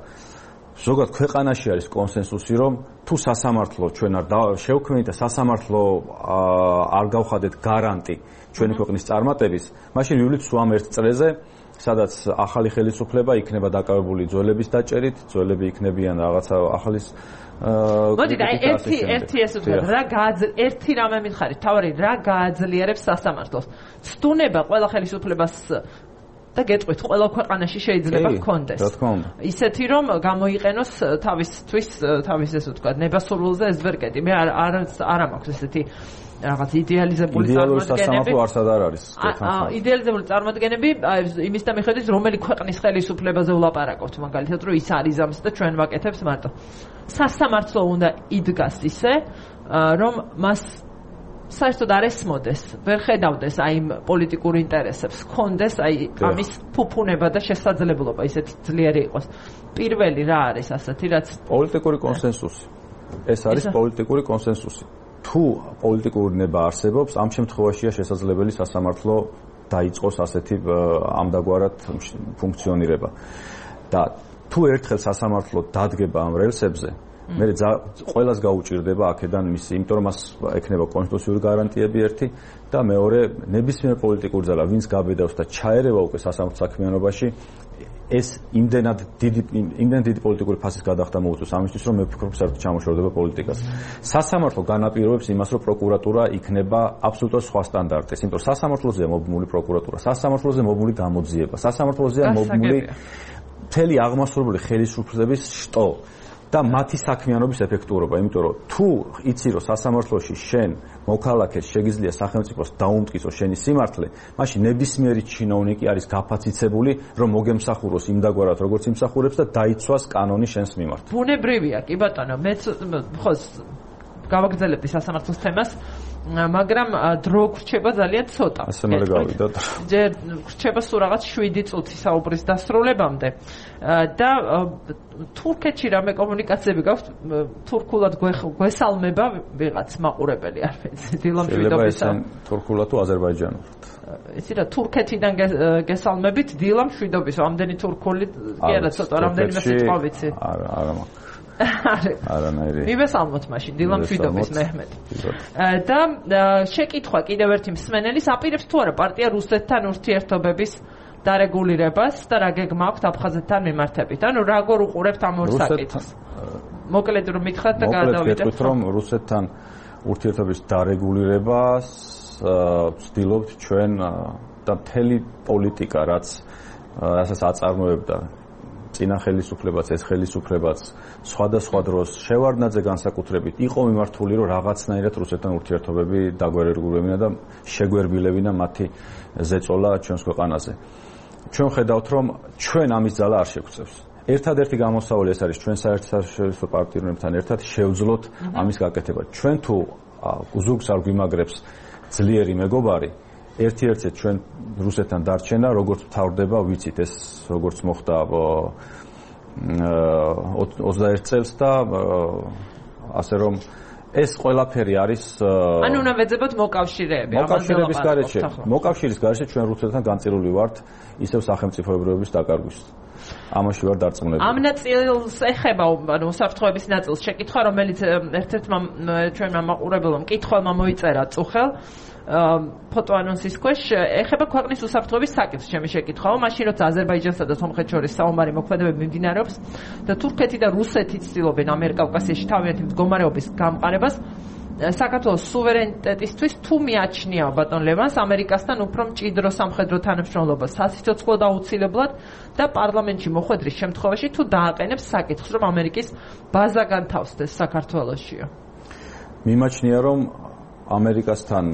ზოგადად ქვეყანაში არის კონსენსუსი რომ თუ სასამართლო ჩვენ არ შევქმნით და სასამართლო არ გავხადეთ გარანტი ჩვენი ქვეყნის წარმატების მაშინ ვივლით სულ ამ ერთ წრეზე სადაც ახალი ხელისუფლება იქნება დაკავებული ძველების დაჭერით ძველები იქნებიან რაღაცა ახალის მოდი და ერთი ესე ვთქვა რა ერთი რამე მითხარით თავარი რა გააძლიერებს სასამართლოს ცდუნება ყველა ხელისუფლებას და გეტყვით ყველა ქვეყანაში შეიძლება გქონდეს ისეთი რომ გამოიყენოს თავის ესე ვთქვა ნებასურველზე ეს ვერ კედი მე არ მაქვს ესეთი რაღაც იდეალიზებული წარმოდგენები არსად არ არის იდეალიზებული წარმოდგენები იმის და მიხედვით რომელი ქვეყნის ხელისუფლებაზე ვლაპარაკობთ მაგალითად რომ ის არის ამის და ჩვენ ვაკეთებთ მარტო სასამართლო უნდა იდგას ისე რომ მას საერთოდ არ ესმოდეს ვერ ხედავდეს აი იმ პოლიტიკურ ინტერესებს ხონდეს აი ამის ფუფუნება და შესაძლებლობა ისეთი ძლიერი იყოს პირველი რა არის ასეთი რაც პოლიტიკური კონსენსუსი ეს არის პოლიტიკური კონსენსუსი თუ პოლიტიკური ნება არსებობს ამ შემთხვევაშია შესაძლებელი სასამართლო დაიწყოს ასეთი ამდაგვარად ფუნქციონირება და თუ ერთხელ სასამართლო დადგება ამ რელსებზე მე ყველას გაუჭირდება აქედან მისი იმიტომ რომ მას ექნება კონსტიტუციური გარანტიები ერთი და მეორე ნებისმიერ პოლიტიკურ ძალა ვინც გაბედავს და ჩაერევა უკვე სასამართლო საქმიანობაში ეს იმდენად დიდი პოლიტიკური ფასის გადახდა მოუწევს ამისთვის რომ მე ვფიქრობ საერთოდ ჩამოშორდება პოლიტიკას სასამართლო განაპირობებს იმას რომ პროკურატურა იქნება აბსოლუტურად სხვა სტანდარტის იმიტომ სასამართლოზეა მობმული პროკურატურა სასამართლოზე მობმული გამოძიება სასამართლოზეა მობმული მთელი აღმასრულებელი ხელისუფლების შტო და მათი საქმიანობის ეფექტურობა, იმიტომ რომ თუ იცი რომ სასამართლოში შენ მოქალაქეს შეგიძლია სახელმწიფოს დაუმტკიცოს შენი სიმართლე, მაშინ ნებისმიერი ჩინოვნიკი არის გაფაციცებული, რომ მოგემსახუროს იმდაგვარად, როგორც იმსახურებს და დაიცვას კანონი შენს მიმართ. ბუნებრივია, კი ბატონო, მეც ხო გავაგრძელებდი სასამართლოს თემას, მაგრამ დრო გრჩება ძალიან ცოტა. ასე მერე გავიდოთ. ჯერ გრჩება სულ რაღაც 7 წუთი საუბრის დასრულებამდე და თურქეთში რამე კომუნიკაციები გაქვთ თურქულად გვესალმება ვიღაც მაყურებელი არ ვიცი დილამშვიდობისა. შეიძლება თურქულად თუ აზერბაიჯანულად. იცი რა თურქეთიდან გესალმებით დილამშვიდობისა. ამდენი თურქული კი არა ცოტა რამდენიმე სიტყვა ვიცი. არა მაქვს. არანაირი. მივესალმოთ მაშინ დილამშვიდობის მეჰმედ. და შეკითხვა კიდევ ერთი მსმენელის აპირებს თუ არა პარტია რუსეთთან ურთიერთობების დარეგულირებას და რა გეგმა აქვს აფხაზეთთან მიმართებით. ანუ როგორ უყურებთ ამ ორ საკითხს? მოკლედ რომ მითხრათ და გადავიდეთ. მოკლედ რომ რუსეთთან ურთიერთობის დარეგულირებას ვცდილობთ ჩვენ და მთელი პოლიტიკა რაც რასაც აწარმოებდა წინა ხელისუფლებაც ეს ხელისუფლებაც სხვადასხვა დროს შევარდნაძე განსაკუთრებით იყო მიმართული რომ რაღაცნაირად რუსეთთან ურთიერთობები დაგვერეგულირებინა და შეგვერბილებინა მათი ზეწოლა ჩვენს ქვეყანაზე. ჩვენ ხედავთ რომ ჩვენ ამის ძალა არ შეგვწევს. ერთადერთი გამოსავალი ეს არის ჩვენ საერთაშორისო პარტნიორებთან ერთად შევძლოთ ამის გაკეთება. ჩვენ თუ ზურგს არ გვიმაგრებს ძლიერი მეგობარი ერთ-ერთად ჩვენ რუსეთთან დარჩენა როგორც მთავრდება ვიცით ეს როგორც მოხდა 21 წელს და ასე რომ ეს ყველაფერი არის ანუ უნდა ვეძებოთ მოკავშირეები მოკავშირის გარეშე ჩვენ რუსეთთან განწილული ვართ ისევ სახელმწიფოებრიობის დაკარგვის ამაში ვარ დარწმუნებული ამ ნაწილს ეხება ანუ უსაფრთხოების ნაწილს შეკითხვა რომელიც ერთ-ერთმა ჩვენმა მაყურებელმა მკითხველმა მოიწერა წუხელ ფოტო ანონსის ქვეშ ეხება ქვეყნის უსაფრთხოების საკითხს ჩემი შეკითხვაა მაშინ როცა აზერბაიჯანსა და სომხეთს შორის საომარი მოქმედებები მიმდინარეობს და თურქეთი და რუსეთი ცდილობენ ამიერკავკასიაში თავიანთი მდგომარეობის გამყარებას საქართველოს სუვერენიტეტისთვის თუ მიაჩნია ბატონ ლევანს ამერიკასთან უფრო მჭიდრო სამხედრო თანამშრომლობა სასიცოცხლოდ აუცილებლად და პარლამენტში მოხვედრის შემთხვევაში თუ დააყენებს საკითხს, რომ ამერიკის ბაზა განთავსდეს საქართველოშიო. მიმაჩნია, რომ ამერიკასთან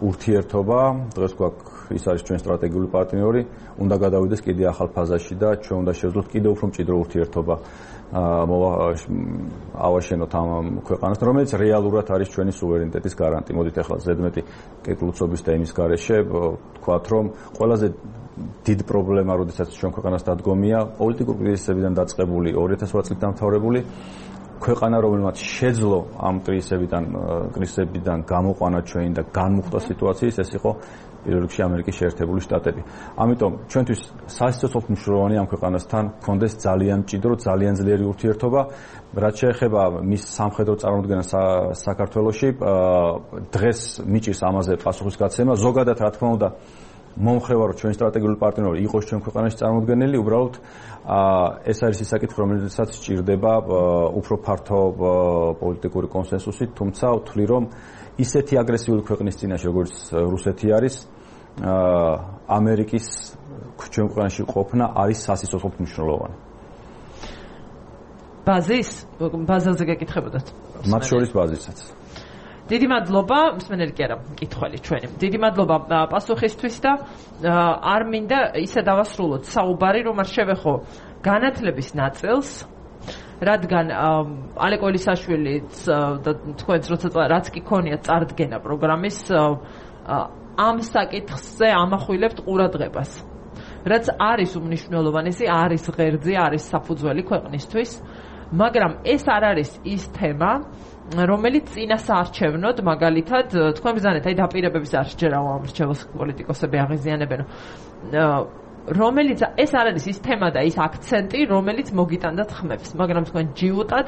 ურთიერთობა, დღეს გვაქვს ის არის ჩვენ სტრატეგიული პარტნიორი, უნდა გადავიდეს კიდე ახალ ფაზაში და ჩვენ უნდა შევძლოთ კიდე უფრო მჭიდრო ურთიერთობა ავაშენოთ ამ ქვეყანასთან, რომელიც რეალურად არის ჩვენი სუვერენიტეტის გარანტი. მოდით ახლა ზედმეტი კეთილწობის და იმის გარეშე ვთქვათ, რომ ყველაზე დიდი პრობლემა, როდესაც ჩვენ ქვეყანას დადგომია, პოლიტიკური კრიზისებიდან დაწყებული 2008 წლით დამთავრებული ქვეყანა, რომელმაც შეძლო ამ კრიზისებიდან გამოყვანა ჩვენი და განმუხტა სიტუაციის, ეს იყო პირველ რიგში ამერიკის შეერთებული შტატები. ამიტომ ჩვენთვის სასიცოცხლოდ მნიშვნელოვანი ამ ქვეყანასთან გქონდეს ძალიან მჭიდრო, ძალიან ძლიერი ურთიერთობა, რაც შეეხება მის სამხედრო წარმოდგენას საქართველოში. დღეს მიჭირს ამაზე პასუხისგაცემა. ზოგადად, რა თქმა უნდა, მომხრევა რომ ჩვენი სტრატეგიული პარტნიორი იყოს ჩვენ ქვეყანაში წარმოდგენილი, უბრალოდ ეს არის ის საკითხი, რომელსაც სჭირდება უფრო ფართო პოლიტიკური კონსენსუსი, თუმცა ვთვლი, რომ ისეთი აგრესიული ქვეყნის წინაშე, როგორც რუსეთი არის, ამერიკის ჩვენ ქვეყანაში ყოფნა არის სასიცოცხლოდ მნიშვნელოვანი. ბაზაზე გეკითხებოდათ? მათ შორის ბაზისაც. დიდი მადლობა, მსმენელი კი არა, მკითხველი ჩვენი. დიდი მადლობა პასუხისთვის და არ მინდა ისე დავასრულოთ საუბარი, რომ არ შევეხო განათლების ნაწილს, რადგან ალეკო ელისაშვილიც და თქვენც რაც კი ქონიათ წარდგენა პროგრამის ამ საკითხზე ამახვილებთ ყურადღებას. რაც არის უმნიშვნელოვანესი, არის ღერძი, არის საფუძველი ქვეყნისთვის, მაგრამ ეს არ არის ის თემა, რომელიც წინასაარჩევნოდ მაგალითად თქვენ ბრძანეთ, აი დაპირებების არ შეჯერა ამრჩეველს პოლიტიკოსები აღიზიანებენ, რომელიც ეს არ არის ის თემა და ის აქცენტი, რომელიც მოგიტანდათ ხმებს, მაგრამ თქვენ ჯიუტად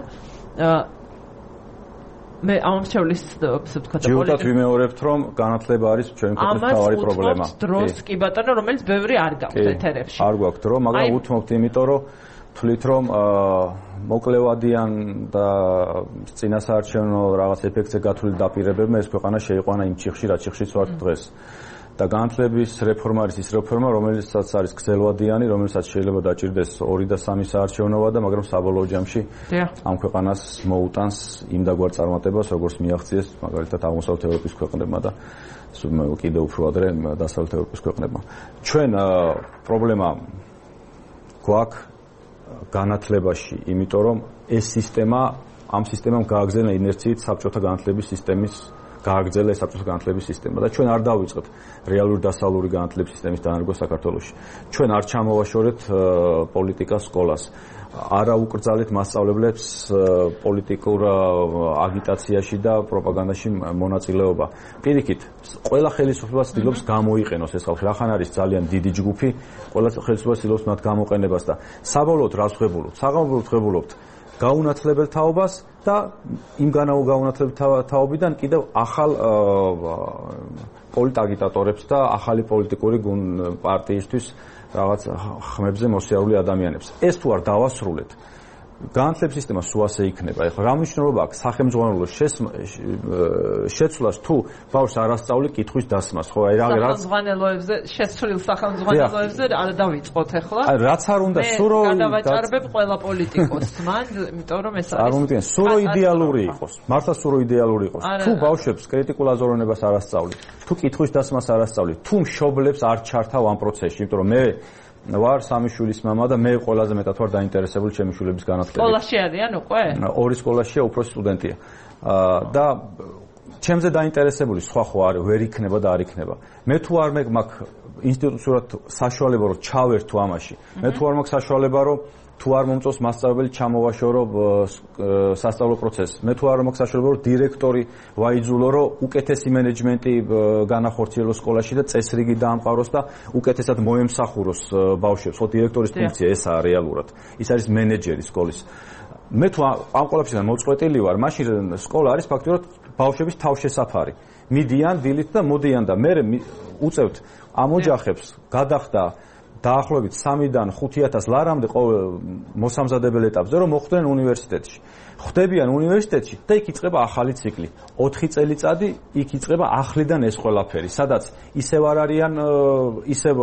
მე ამრჩევლის ვთქვათ ჯიუტად ვიმეორებთ, რომ განათლება არის ჩვენი ქვეყნის მთავარი პრობლემა. ამას დროს კი ბატონო, რომელიც ბევრი არ გაქვთ ეთერებში. არ გვაქვს დრო, მაგრამ უთმობთ იმიტომ, რომ თვლით, რომ მოკლევადიან და წინასაარჩევნო რაღაც ეფექტზე გათვლილი დაპირებებმა ეს ქვეყანა შეიყვანა იმ ჩიხში, რაც ჩიხშიც ვართ დღეს. და განათლების რეფორმა არის ის რეფორმა, რომელსაც არის გრძელვადიანი, რომელსაც შეიძლება დაჭირდეს 2 და 3 საარჩევნოვა და მაგრამ საბოლოო ჯამში ამ ქვეყანას მოუტანს იმ დაგვარ წარმატებას, როგორც მიაღწიეს მაგალითად აღმოსავლეთ ევროპის ქვეყნებმა და კიდევ უფრო ადრე დასავლეთ ევროპის ქვეყნებმა. ჩვენ პრობლემა გვაქვს განათლებაში, იმიტომ რომ ეს ამ სისტემამ გააგზავნა ინერციით საბჭოთა განათლების სისტემის გააგრძელა საბჭოთა განათლების სისტემა და ჩვენ არ დავიწყეთ რეალური დასავლური განათლების სისტემის დანერგვა საქართველოში. ჩვენ არ ჩამოვაშორეთ პოლიტიკას სკოლას. არა უკრძალეთ მასწავლებლებს პოლიტიკურ აგიტაციაში და პროპაგანდაში მონაწილეობა. პირიქით, ყველა ხელისუფლება ცდილობს გამოიყენოს ეს ხალხი. რახან არის ძალიან დიდი ჯგუფი, ყველა ხელისუფლება ცდილობს მათ გამოყენებას და საბოლოოდ რას ვღებულობთ? საგამობრალოდ ვღებულობთ გაუნათლებელ თაობას და იმ გაუნათლებელ თაობიდან კიდევ ახალ პოლიტაგიტატორებს და ახალი პოლიტიკური პარტიისთვის რაღაც ხმებზე მოსიარულე ადამიანებს. ეს თუ არ დავასრულეთ, განათლების სისტემა სულ ასე იქნება. ეხლა რა მნიშვნელობა აქვს სახელმძღვანელოს შეცვლას თუ ბავშვს არ ასწავლი კითხვის დასმას, ხო? აი რაღაც სახელმძღვანელოებზე, შეცვლილ სახელმძღვანელოებზე არ დავიწყოთ ეხლა. აი რაც არ უნდა სურო გადავაჭარბებ ყველა პოლიტიკოსს, მან, იმიტომ რომ ეს არის. არ უნდა სურო იდეალური იყოს. მართლა სურო იდეალური იყოს. თუ ბავშვებს კრიტიკულ აზროვნებას არ ასწავლი, თუ კითხვის დასმას არ ასწავლი, თუ მშობლებს არ ჩართავ ამ პროცესში, იმიტომ რომ მე ვარ 3 შვილის მამა და მე ყველაზე მეტად ვარ დაინტერესებული ჩემი შვილების განათლებით. სკოლაში არიან უკვე? 2 სკოლაშია, უფროსი სტუდენტია. და ჩემზე დაინტერესებული სხვა ხო არ ვერ იქნება და არ იქნება. მე თუ არ მაქვს ინსტიტუციურად საშუალება რომ ჩავერთო ამაში. მე თუ არ მაქვს საშუალება რომ თუ არ მომწონს მასწავლებელი ჩამოვაშორო სასწავლო პროცესს. მე თუ არ მაქვს საშუალება რომ დირექტორი ვაიძულო რომ უკეთესი მენეჯმენტი განახორციელოს სკოლაში და წესრიგი დაამყაროს და უკეთესად მოემსახუროს ბავშვებს. ხო, დირექტორის ფუნქცია ესაა რეალურად. ის არის მენეჯერი სკოლის. მე თუ ამ ყველაფერთან მოწყვეტილი ვარ, მაშინ სკოლა არის ფაქტობრივად ბავშვების თავშესაფარი. მიდიან დილით და მოდიან და მე უწევთ ამ ოჯახებს გადახდა დაახლოებით 3-დან 5,000 ლარამდე მოსამზადებელ ეტაპზე რომ მოხვდნენ უნივერსიტეტში. ხვდებიან უნივერსიტეტში და იქ იწყება ახალი ციკლი. 4 წელიწადი იქ იწყება ახლიდან ეს ყველაფერი, სადაც ისევ არ არიან, ისევ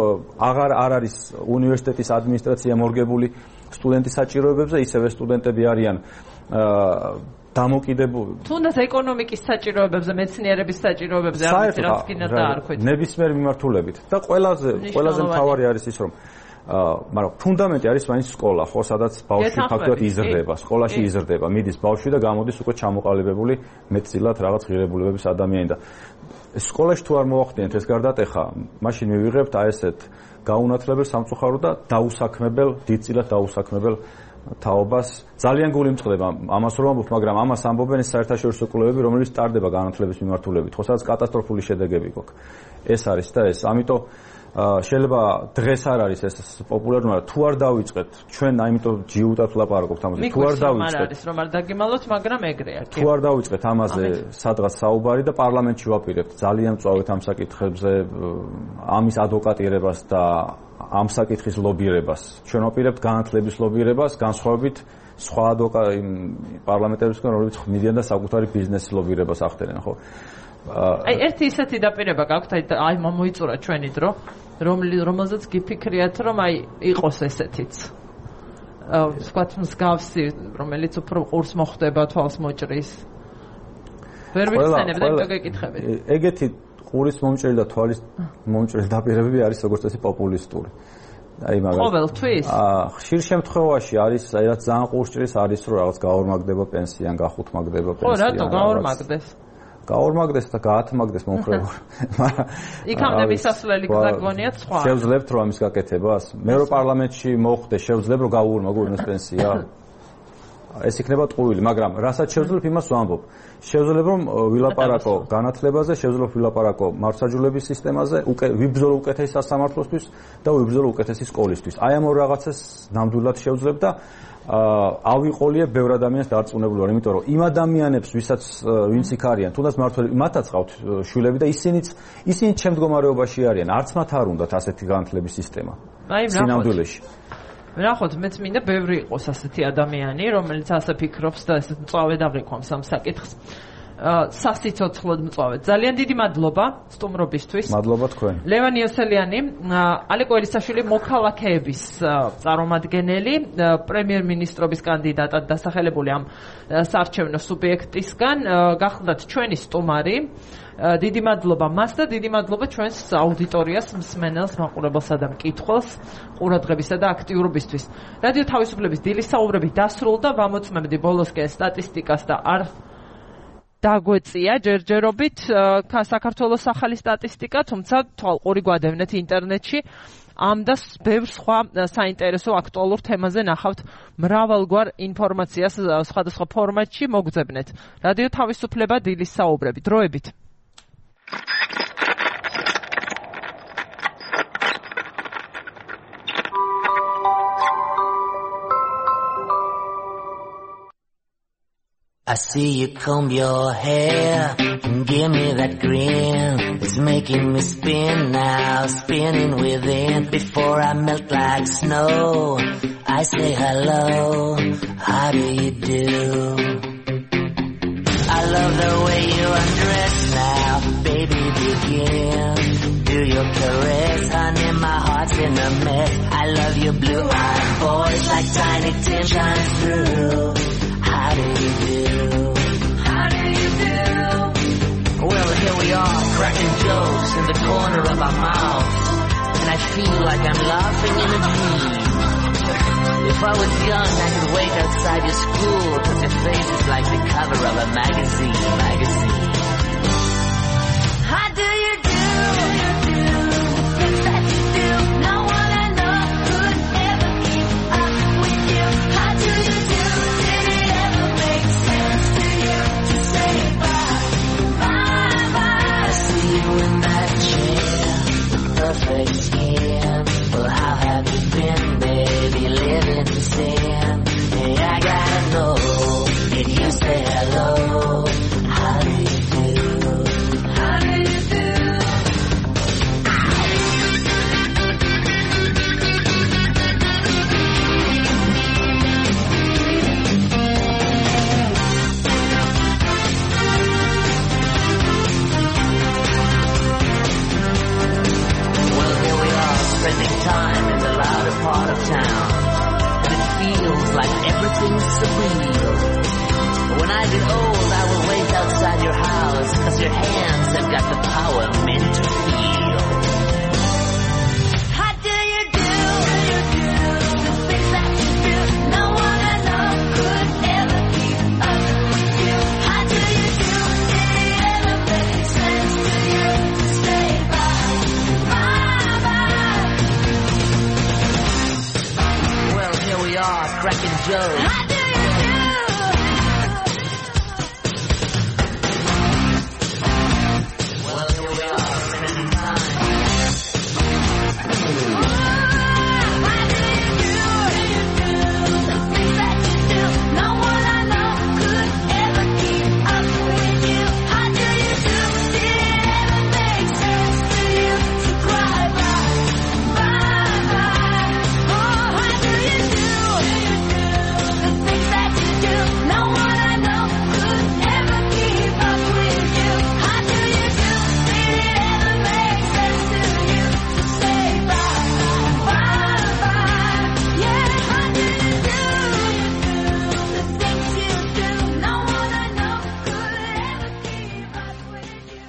აღარ არის უნივერსიტეტის ადმინისტრაცია მორგებული სტუდენტის საჭიროებებზე, ისევ სტუდენტები არიან დამოკიდებული. თუნდაც ეკონომიკის საჭიროებებზე, მეცნიერების საჭიროებებზე არ ვიცი რაც კიდე დაარქვით. ნებისმიერ მიმართულებით და ყველაზე მთავარი არის ის რომ მაგრამ ფუნდამენტი არის მაინც სკოლა, ხო, სადაც ბავშვი ფაქტობრივად იზრდება, სკოლაში იზრდება, მიდის ბავშვი და გამოდის უკვე ჩამოყალიბებული მეტწილად რაღაც ღირებულებების ადამიანი და სკოლაში თუ არ მოახდინეთ ეს გარდატეხა, მაშინ მივიღებთ აი ესეთ გაუნათლებელ სამწუხარო და დაუსაქმებელ, დიდწილად დაუსაქმებელ თაობას. ძალიან გული მწყდება ამას რომ ამბობ, მაგრამ ამას ამბობენ საერთაშორისო კვლევები, რომელიც სტარდება განათლების მიმართულებით, ხო, სადაც კატასტროფული შედეგები გვაქვს. ეს არის და ეს, ამიტომ შეიძლება დღეს არ არის ეს პოპულარული, მაგრამ თუ არ დავიწყეთ, ჩვენ აიმიტომ ჯიუტად ვლაპარაკობთ ამაზე. თუ არ დავიწყეთ, არის რომ არ დაგიმალოთ, მაგრამ ეგრეა. თუ არ დავიწყეთ ამაზე სადღაც საუბარი და პარლამენტში ვაპირებთ ძალიან მწვავედ ამ საკითხებზე, ამის ადვოკატირებას და ამ საკითხის ლობირებას. ჩვენ ვაპირებთ განათლების ლობირებას, განსხვავებით სხვა პარლამენტებისგან, რომლებიც ხმიდან და საკუთარი ბიზნესის ლობირებას ახდენენ, ხო? აი ერთი ისეთი დაპირება გაქვთ, აი მოიწურა ჩვენი დრო, რომელზეც გიფიქრიათ, რომ აი იყოს ესეთიც. ვთქვათ მსგავსი, რომელიც უფრო ყურს მოხვდება, თვალს მოჭრის. ვერ ვიხსენებ და იმიტომ გეკითხებით. ეგეთი ყურის მომჭრელი და თვალის მომჭრელი დაპირებები არის როგორც წესი პოპულისტური. აი მაგალითად ყოველთვის? ხშირ შემთხვევაში არის, აი რაც ძალიან ყურს ჭრის, არის რომ რაღაც გაორმაგდება პენსია, გახუთმაგდება პენსია. ხო, რატო გაორმაგდეს? გაორმაგდეს და გაათმაგდეს მომხრეულ. იქამდე მისასვლელი გზა გონიათ სხვა. შევძლებთ რომ ამის გაკეთებას? მე რო პარლამენტში მოხვდე, შევძლებ რომ გაუორმაგო ვინმეს პენსია? ეს იქნება ტყუილი, მაგრამ რასაც შევძლებ იმას ვამბობ. შევძლებ რომ ვილაპარაკო განათლებაზე, შევძლებ ვილაპარაკო მართლმსაჯულების სისტემაზე, ვიბრძოლო უკეთესი სასამართლოსთვის და ვიბრძოლო უკეთესი სკოლისთვის. აი ამ ორ რაღაცას ნამდვილად შევძლებ და ავიყოლიებ ბევრ ადამიანს დარწმუნებული ვარ, იმიტომ რომ იმ ადამიანებს, ვინც იქ არიან, თუნდაც მართველები, მათაც ყავთ შვილები და ისინი ჩემ მდგომარეობაში არიან. არც მათ არ უნდათ ასეთი განათლების სისტემა. სინამდვილეში. ნახოთ, მეც მინდა ბევრი იყოს ასეთი ადამიანი, რომელიც ასე ფიქრობს და ესე მწვავედ აღიქვამს ამ საკითხს. სასიცოცხლოდ მწვავედ. ძალიან დიდი მადლობა სტუმრობისთვის. მადლობა თქვენ. ლევან იოსელიანი, ალეკო ელისაშვილი მოქალაქეების წარმომადგენელი, პრემიერ-მინისტრობის კანდიდატად დასახელებული ამ საარჩევნო სუბიექტისგან, გახლდათ ჩვენი სტუმარი. დიდი მადლობა მას და დიდი მადლობა ჩვენს აუდიტორიას, მსმენელს, მაყურებელსა და მკითხველს ყურადღებისა და აქტიურობისთვის. რადიო თავისუფლების დილის საუბრები დასრულდა, ვამოწმებდი ბოლოსკენ სტატისტიკას და არ დაგვეწია ჯერჯერობით საქართველოს ახალი სტატისტიკა, თუმცა თვალყური გვადევნეთ ინტერნეტში. ამ და ბევრ სხვა საინტერესო აქტუალურ თემაზე ნახავთ მრავალგვარ ინფორმაციას სხვადასხვა ფორმატში მოგძებნეთ. რადიო თავისუფლება დილის საუბრები. დროებით. I see you comb your hair and give me that grin. It's making me spin now, spinning within. Before I melt like snow, I say hello, how do you do? I love the way you undress now, baby begin. Do your caress, honey, my heart's in a mess. I love your blue-eyed boys like tiny tin shines through. How do you do? How do you do? Well, here we are, cracking jokes in the corner of our mouths. And I feel like I'm laughing in a dream. If I was young, I could wait outside your school, cause your face is like the cover of a magazine. How do you do? Things that you do, no one I know could ever keep up with you. How do you do? Did it ever make sense to you to say bye, bye, bye? I see you in that chair, perfect skin. Well, how have you been, baby, living in sin? Hey, I gotta know, did you say hello? How do you your hands have got the power meant to feel. How do you do the things that you do? No one I know could ever keep up with you. How do you do? Did it ever make sense to you to stay by? Well, here we are, cracking jokes. How do you do? Well, here we are, minute in time. How do you do the things that you do? No one I know could ever keep up with you. How do you do? Did it ever make sense to you to cry bye? Oh, how do you do the things that you do? No one I know could ever keep up with you. How do you do? Did it ever make sense to you to say bye? Yeah, how do you do the things you do? No one I know could ever keep up with you.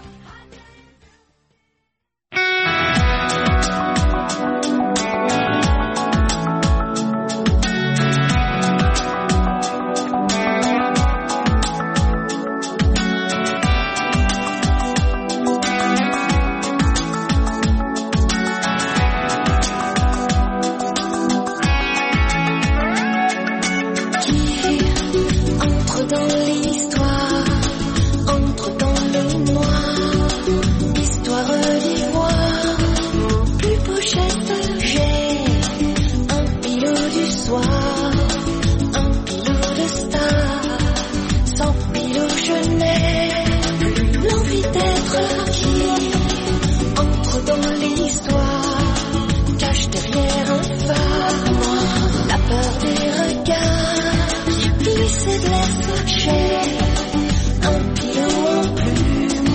Entre dans l'histoire, entre dans le noir, histoire d'ivoire, mon plus beau geste, j'ai un pilot du soir, un pilot de star, sans pilot je n'ai plus l'envie d'être qui entre dans l'histoire, cache derrière un phare noir, la peur des regards. Glisser de l'est, j'ai un pilot en plume,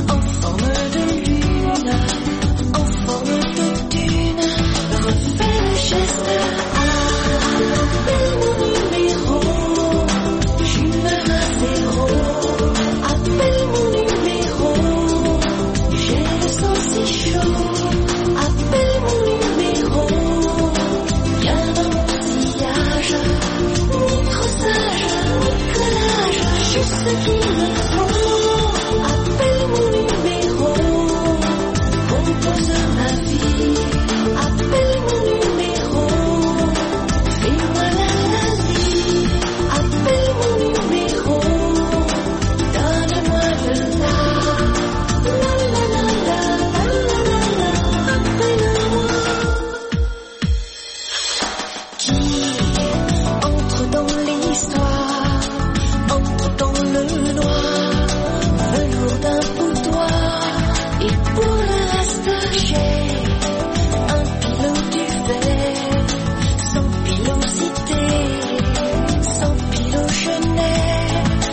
en forme de lune, en forme de dune, refais le geste, appelle mon numéro, j'humeur à zéro, appelle mon numéro, j'ai le sang si chaud, appelle mon numéro, viens dans mon sillage. Juste ce qu'il me faut, appelle mon numéro, compose ma vie, appelle mon numéro, fais-moi la vie, appelle mon numéro, donne-moi le la, appelle-moi. Qui entre dans l'histoire, entre dans le noir, velours d'un boudoir, et pour le reste j'ai un pilot du verre, sans pilosité, sans pilot je n'ai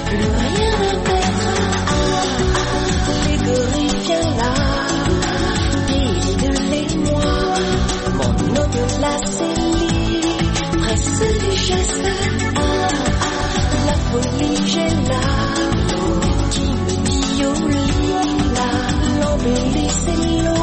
plus rien à perdre. Les gorilles viens là, guide-les-moi, mon au-delà c'est lit, presse du geste. La folie j'ai là, qui me dit au lit là, l'embellie c'est l'eau.